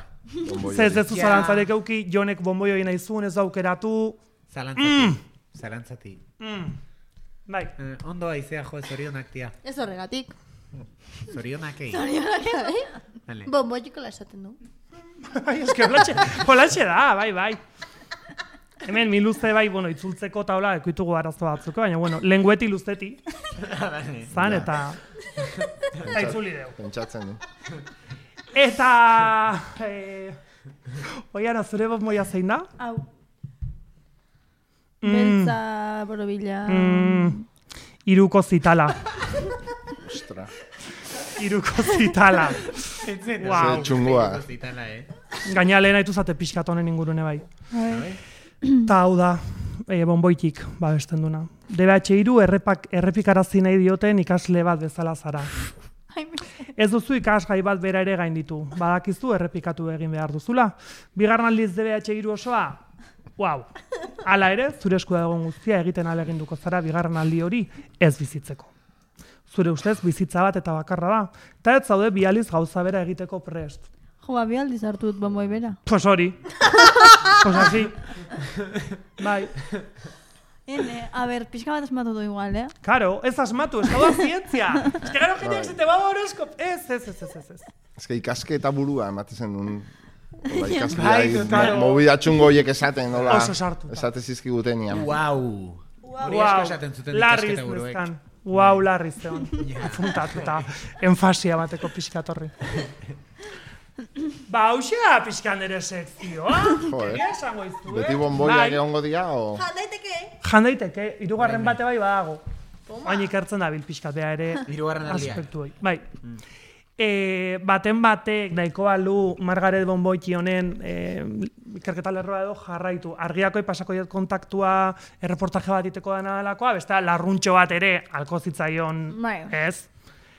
Zez ez zalantzarik euki, jonek bonboi hori nahi zuen, ez daukeratu. Zalantzati, zalantzati. Mm. Bai. Eh, ondo aizea, jo, zorionak tia. Ez horregatik. Zorionak egin. Zorionak bai. Vale. Bonboikola esaten du. Bai, eske holatxe, holatxe da, bai, bai. Hemen mi luze bai, bueno, itzultzeko taula ekoitugu arazo batzuko, baina bueno, lengueti luzeti. Zan eta eta itzuli deu. Pentsatzen du. Eta eh Oiana, zure bonboia zein da? Hau. Mm. Beltza, borobila. Mm. Iruko zitala. Ostra. Iruko zitala. Wow. Txungoa. eh? Gaina lehen haitu zate pixkat honen ingurune bai. Ta hau da, e, bonboitik babesten duna. D B H hiru errepak, errepikarazi nahi dioten ikasle bat bezala zara. Ez duzu ikasgai bat bera ere gainditu. Badakizu errepikatu egin behar duzula. Bigarren aldiz D B H hiru osoa, wow. Hala ere, zure esku dagoen guztia egiten ahaleginduko zara bigarren aldi hori ez bizitzeko. Zure ustez bizitza bat eta bakarra da. Eta ez zaude bi aldiz gauza bera egiteko prest. Jo, ba, bi aldiz hartu dut bonboi bera. Pues hori. Pues así. Bai. Ene, a ber, pixka bat asmatu du igual, eh? Karo, ez asmatu, ez da zientzia. Ez que gero jendeak zite baba horoskop. Ez, ez, ez, ez, ez. Ez que ikaske eta burua ematen duen. Ola Bai, ikaske claro. movida txungo horiek esaten, nola. Oso sartuta. Esate zizkigutenian. Wow. Hori Wow, asko esaten zuten larriz ikasketa buruek. neskan. Wow, larriz zeon. Apuntatuta, enfasia bateko pixkatorri. Ba, hausia pixkan ere sekzioa. Joder. Egia esango izu, eh? Beti bonboiak Bai. egongo dira, o? Jandaiteke. Jandaiteke, hirugarren bate bai badago. Baina ikertzen da bil pixkat bea ere Hirugarren aldia. aspektu hori. Bai. E, baten batek nahiko balu Margaret Bonboiki honen e, ikerketa lerroa edo jarraitu. Argiakoi pasako diot kontaktua erreportaje bat iteko dena delakoa, beste larruntxo bat ere alko zitzaion, Bai. ez?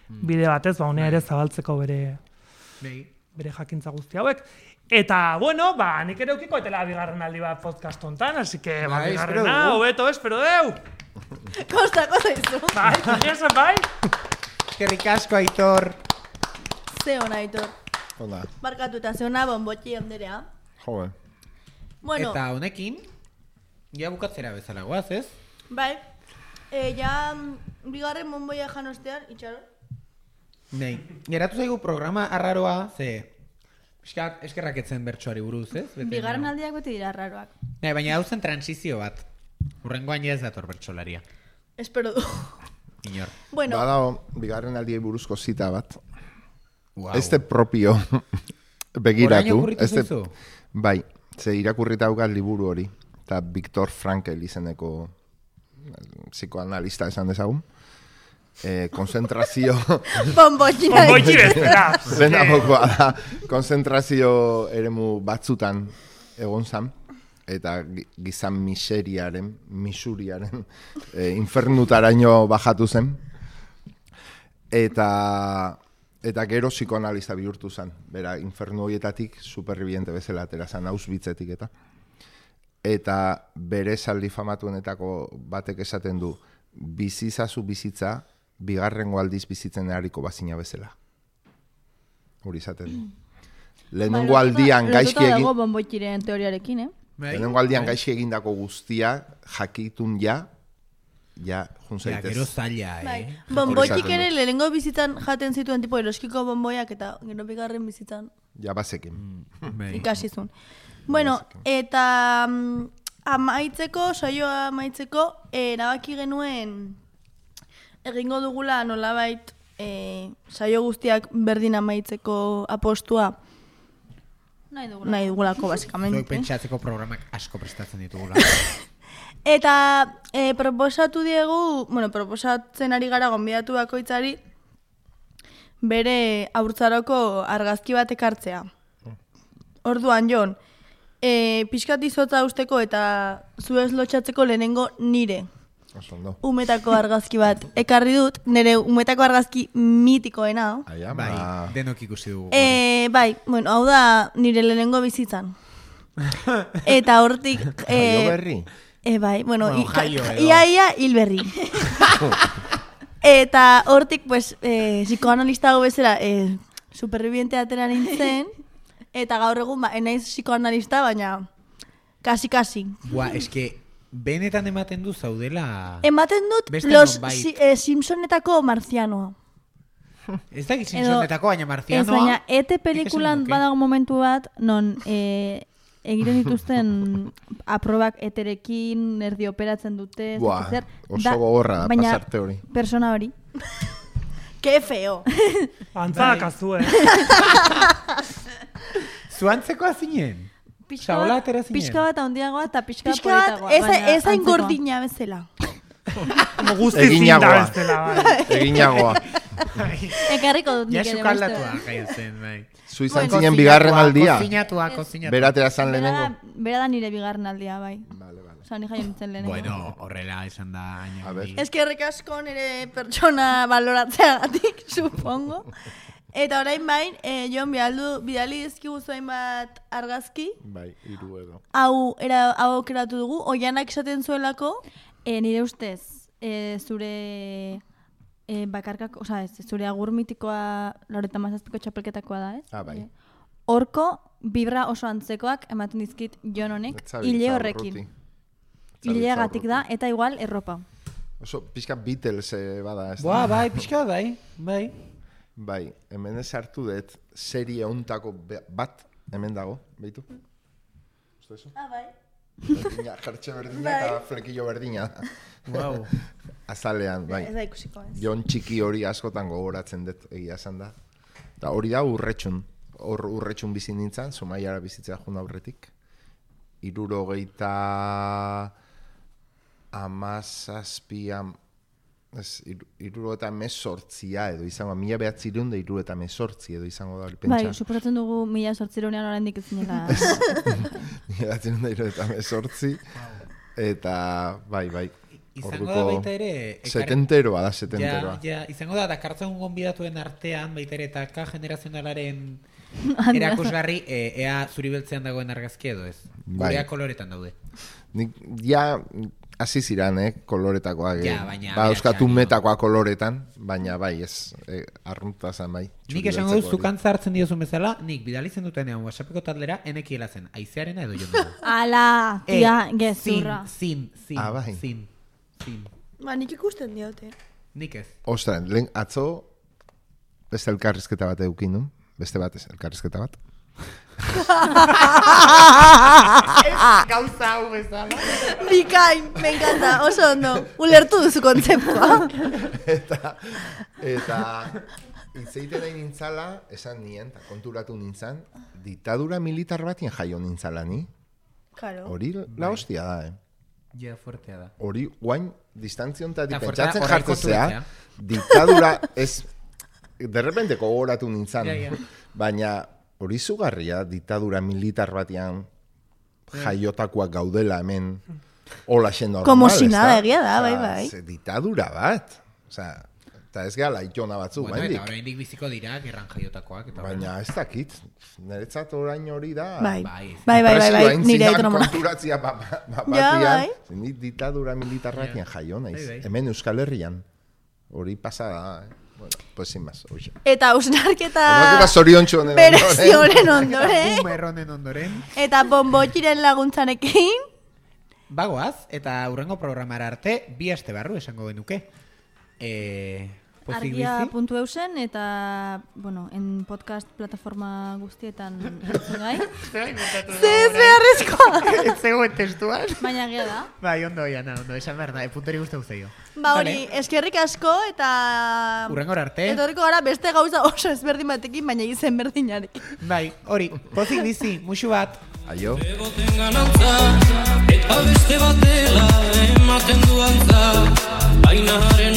Bide batez, ba, honea ere zabaltzeko bere Bai. bere jakintza guzti hauek. Eta, bueno, ba, nik ere ukiko etela bigarren aldi bat podcast hontan, así que, ba, Bai, espero bigarrena, dugu. hobeto, espero deu! Kosta, kosta izu. Bai, esan bai? Eskerrik asko, Aitor. Ze hona, Aitor. Hola. Barkatu eta ze hona bonbotxi handerea. Joder. Bueno, Eta honekin, ja bukatzera bezala goaz, ez? bai. E, ja, mm, bigarren bonboia jan ostean, itxaron. Nei, geratu zaigu programa arraroa, ze pixkat eskerrak etzen bertsoari buruz, ez? Bete Bigarren nago. aldiak beti dira arraroak. Nei, baina hau zen transizio bat. Urrengoan ja ez dator bertsolaria. Espero du. Inor. Bueno, Badao, bigarren aldiei buruzko zita bat. Wow. Este propio begiratu. Orain okurritu Este, zaizu? bai, ze irakurrita daukat liburu hori. Eta Viktor Frankl izeneko psikoanalista esan dezagun. Eh, konzentrazio... bonbotxi nahi. Bonboitxi bestera. Zena bokoa da, konzentrazio eremu batzutan egon zan, eta gi- gizan miseriaren, misuriaren, e, infernutaraino bajatu zen, eta, eta gero psikoanalista bihurtu zen, bera infernu horietatik superviviente bezala atera zen, Auschwitzetik eta. Eta bere esaldi famatuenetako batek esaten du, bizizazu bizitza, bigarrengo aldiz bizitzen hariko bazina bezala. Hori izaten du. Lehenengo aldian gaizki Lotuta egin... dago bonboitxiren teoriarekin, eh? Bai? Lehenengo aldian gaizki egindako guztia, jakitun ja, ja, jun Ja, zaitez. gero zaila, eh? Bai. Hori Bonboitxik izaten ere du. lehenengo bizitzan jaten zituen tipo eroskiko bonboiak eta gero bigarren bizitzan Ja bazekin. Bai. ikasi zuen. Bueno, eta mm, amaitzeko, saioa amaitzeko, erabaki genuen egingo dugula nolabait e, saio guztiak berdin amaitzeko apostua Nahi dugula. nahi dugulako, Zuek basikamente. pentsatzeko programak asko prestatzen ditugula. Eta e, proposatu diegu, bueno, proposatzen ari gara gonbidatu bakoitzari bere haurtzaroko argazki bat ekartzea. Orduan, Jon, e, pixkat izotza usteko eta zu ez lotxatzeko lehenengo nire Oso ondo. umetako argazki bat ekarri dut, nire umetako argazki mitikoena. Aia, Bai, ba... denok ikusi dugu. E, bai, bueno, hau da nire lehenengo bizitzan. Eta hortik... Jaio berri? E, bai, bueno, Bueno, i- jaio edo. ia ia hil berri. Eta hortik, pues, eh, psikoanalista hau bezala, eh, superviviente atera nintzen, eta gaur egun, ba, enaiz psikoanalista, baina kasi-kasi. Bua, eske, benetan ematen du zaudela... Ematen dut, Beste los nonbait. si, eh, Simpsonetako marzianoa. Ez da Simpsonetako, baina Ez, marzianoa... baina, ete pelikulan nuke. badago momentu bat, non eh, egiten dituzten aprobak eterekin, erdi operatzen dute, ez Buah, dakit zer. oso Da- gogorra da baina pasarte hori. persona hori. Que feo. Antzak azu, eh? Zuantzeko azinen? Pixka Osa, hola bat, atera zinen? pixka bat handiagoa eta pixka, Pixka bat, politagoa. ez baina ez hain antzekoa. gordina bezala. Como guzti Eginagoa. zinda bestela, bai. Eginagoa. Ekarriko dut Ja nik ere sukaldatua beste. jaio zen, bai. Zu izan zinen bigarren aldia. Kozinatua, kozinatua. Beratera zan Bera lehenengo. da, bera da nire bigarren aldia, bai. Vale, vale. Osa, ni jaio nintzen lehenengo. Bueno, horrela esan da aina. A ver. handi. Eskerrik asko nire pertsona baloratzeagatik, supongo. Eta orain bain, eh, Jon bidaldu, bidali dizkigu zuen bat argazki. Bai, hiru edo. Hau, era, hau aukeratu dugu, oianak esaten zuelako, E, nire ustez, e, zure e, bakarkak, oza, ez, zure agur mitikoa Laureta Mazazpiko txapelketakoa da, ez? Ah, bai. E, horko, vibra oso antzekoak ematen dizkit Jon honek, Ez zabiltza hile urruti. horrekin. Ez zabiltza Hileagatik da, urruti. eta igual erropa. Oso pixka Beatles eh, bada, ez da? Boa, bai, pixka bat, bai, bai. Bai, hemen ez hartu dut serie ontako be- bat, hemen dago, behitu? Uste eso? ah, bai. Berdina, jartxe berdina eta flekillo berdina. Wow. Azalean, bai. Ez da ikusiko, ez. Jon txiki hori askotan gogoratzen dut egia esan da. Eta hori da urretxun. Hor urretxun bizi nintzen, Zumaiara bizitzea jun aurretik. Irurogeita amazazpian, ez, iru- iruro eta mesortzia edo izango, mila behatzireun da iruro eta mesortzi edo izango da hori pentsa. Bai, suposatzen dugu mila sortzironean oraindik ez zinela. Mila behatzireun da iruro eta mesortzi. Eta, bai, bai. Izango da baita ere... ekar- Setenteroa da, Ja, setenteroa. ja, izango da, dakartzen gonbidatuen artean, baita ere, eta K generazionalaren Anda. erakusgarri, e, ea zuri beltzean dagoen argazki edo ez. Bai. Gurea koloretan daude. Nik ja hasi ziran, eh, koloretakoak. eh. Ja, baina ba, euskatu behatxan, metakoa koloretan, baina bai, ez, eh, arrunta zan bai. Nik txuri esango dut, beltzeko hori. zukantza hartzen diozun bezala, nik bidalitzen dutenean WhatsAppeko taldera, enekiela zen, aizearena edo jondena. Ala, tia, Eh, gezurra. Zin, zin, zin, Ah, bai. zin, zin. Ba, nik ikusten diote. Nik ez. Ostras, lehen atzo beste elkarrizketa bat eukin nun, beste bat ez, elkarrizketa bat. Gauza hau bezala. Bikain, me encanta, oso ondo. Ulertu duzu kontzeptua. eta, eta, itzeiten nahi nintzala, esan nien, eta konturatu nintzen, ditadura militar batien jaio nintzala ni. Claro. Hori la hostia da, eh. Ja, fuertea da. Hori guain distantziontatik Eta fuertea, pentsatzen horrek jartzea, kontuetzea. ditadura ez, de repente gogoratu nintzen, Ja, ja. baina hori zugarria ditadura militar batean jaiotakoak gaudela hemen hola xe normal, Como si ezta? nada, egia da, Osea, bai, bai. ze ditadura bat, osea, eta ez gala itona batzu, Bueno, eta baindik. oraindik biziko dira, gerran jaiotakoak. Eta Baina ez dakit, niretzat orain hori da... Bai, Bai, bai, bai, bai, bai, Presioa nire intzidan autonomona. konturatzia ba- ba- ba- Ja, batian, bai. nik ditadura militarratien jaio naiz. Bai, bai. Hemen Euskal Herrian. Hori pasada, eh? Bueno, pues sin más, hoxe. Eta ausnarketa Eta zoriontsu honen berezioren ondoren, Bumerronen ondoren. eta bombotxiren laguntzarekin, Bagoaz, eta hurrengo programara arte, bi aste barru esango genuke. Eh, pozik Argia bizi. puntu eusen, eta, bueno, en podcast plataforma guztietan entzun gai. ze ez beharrezkoa. Ez zegoen testuan. Baina egia da. Bai, ondo, Iana, ondo, esan behar da, puntori guzti guztio. Ba hori, eskerrik asko eta... Hurrengora arte. Etorriko gara beste gauza oso ezberdin batekin, baina izen berdinarekin. Bai, hori, pozik bizi, musu bat. Aio. Egoten ganantza, eta beste batela ematen du antza, baina haren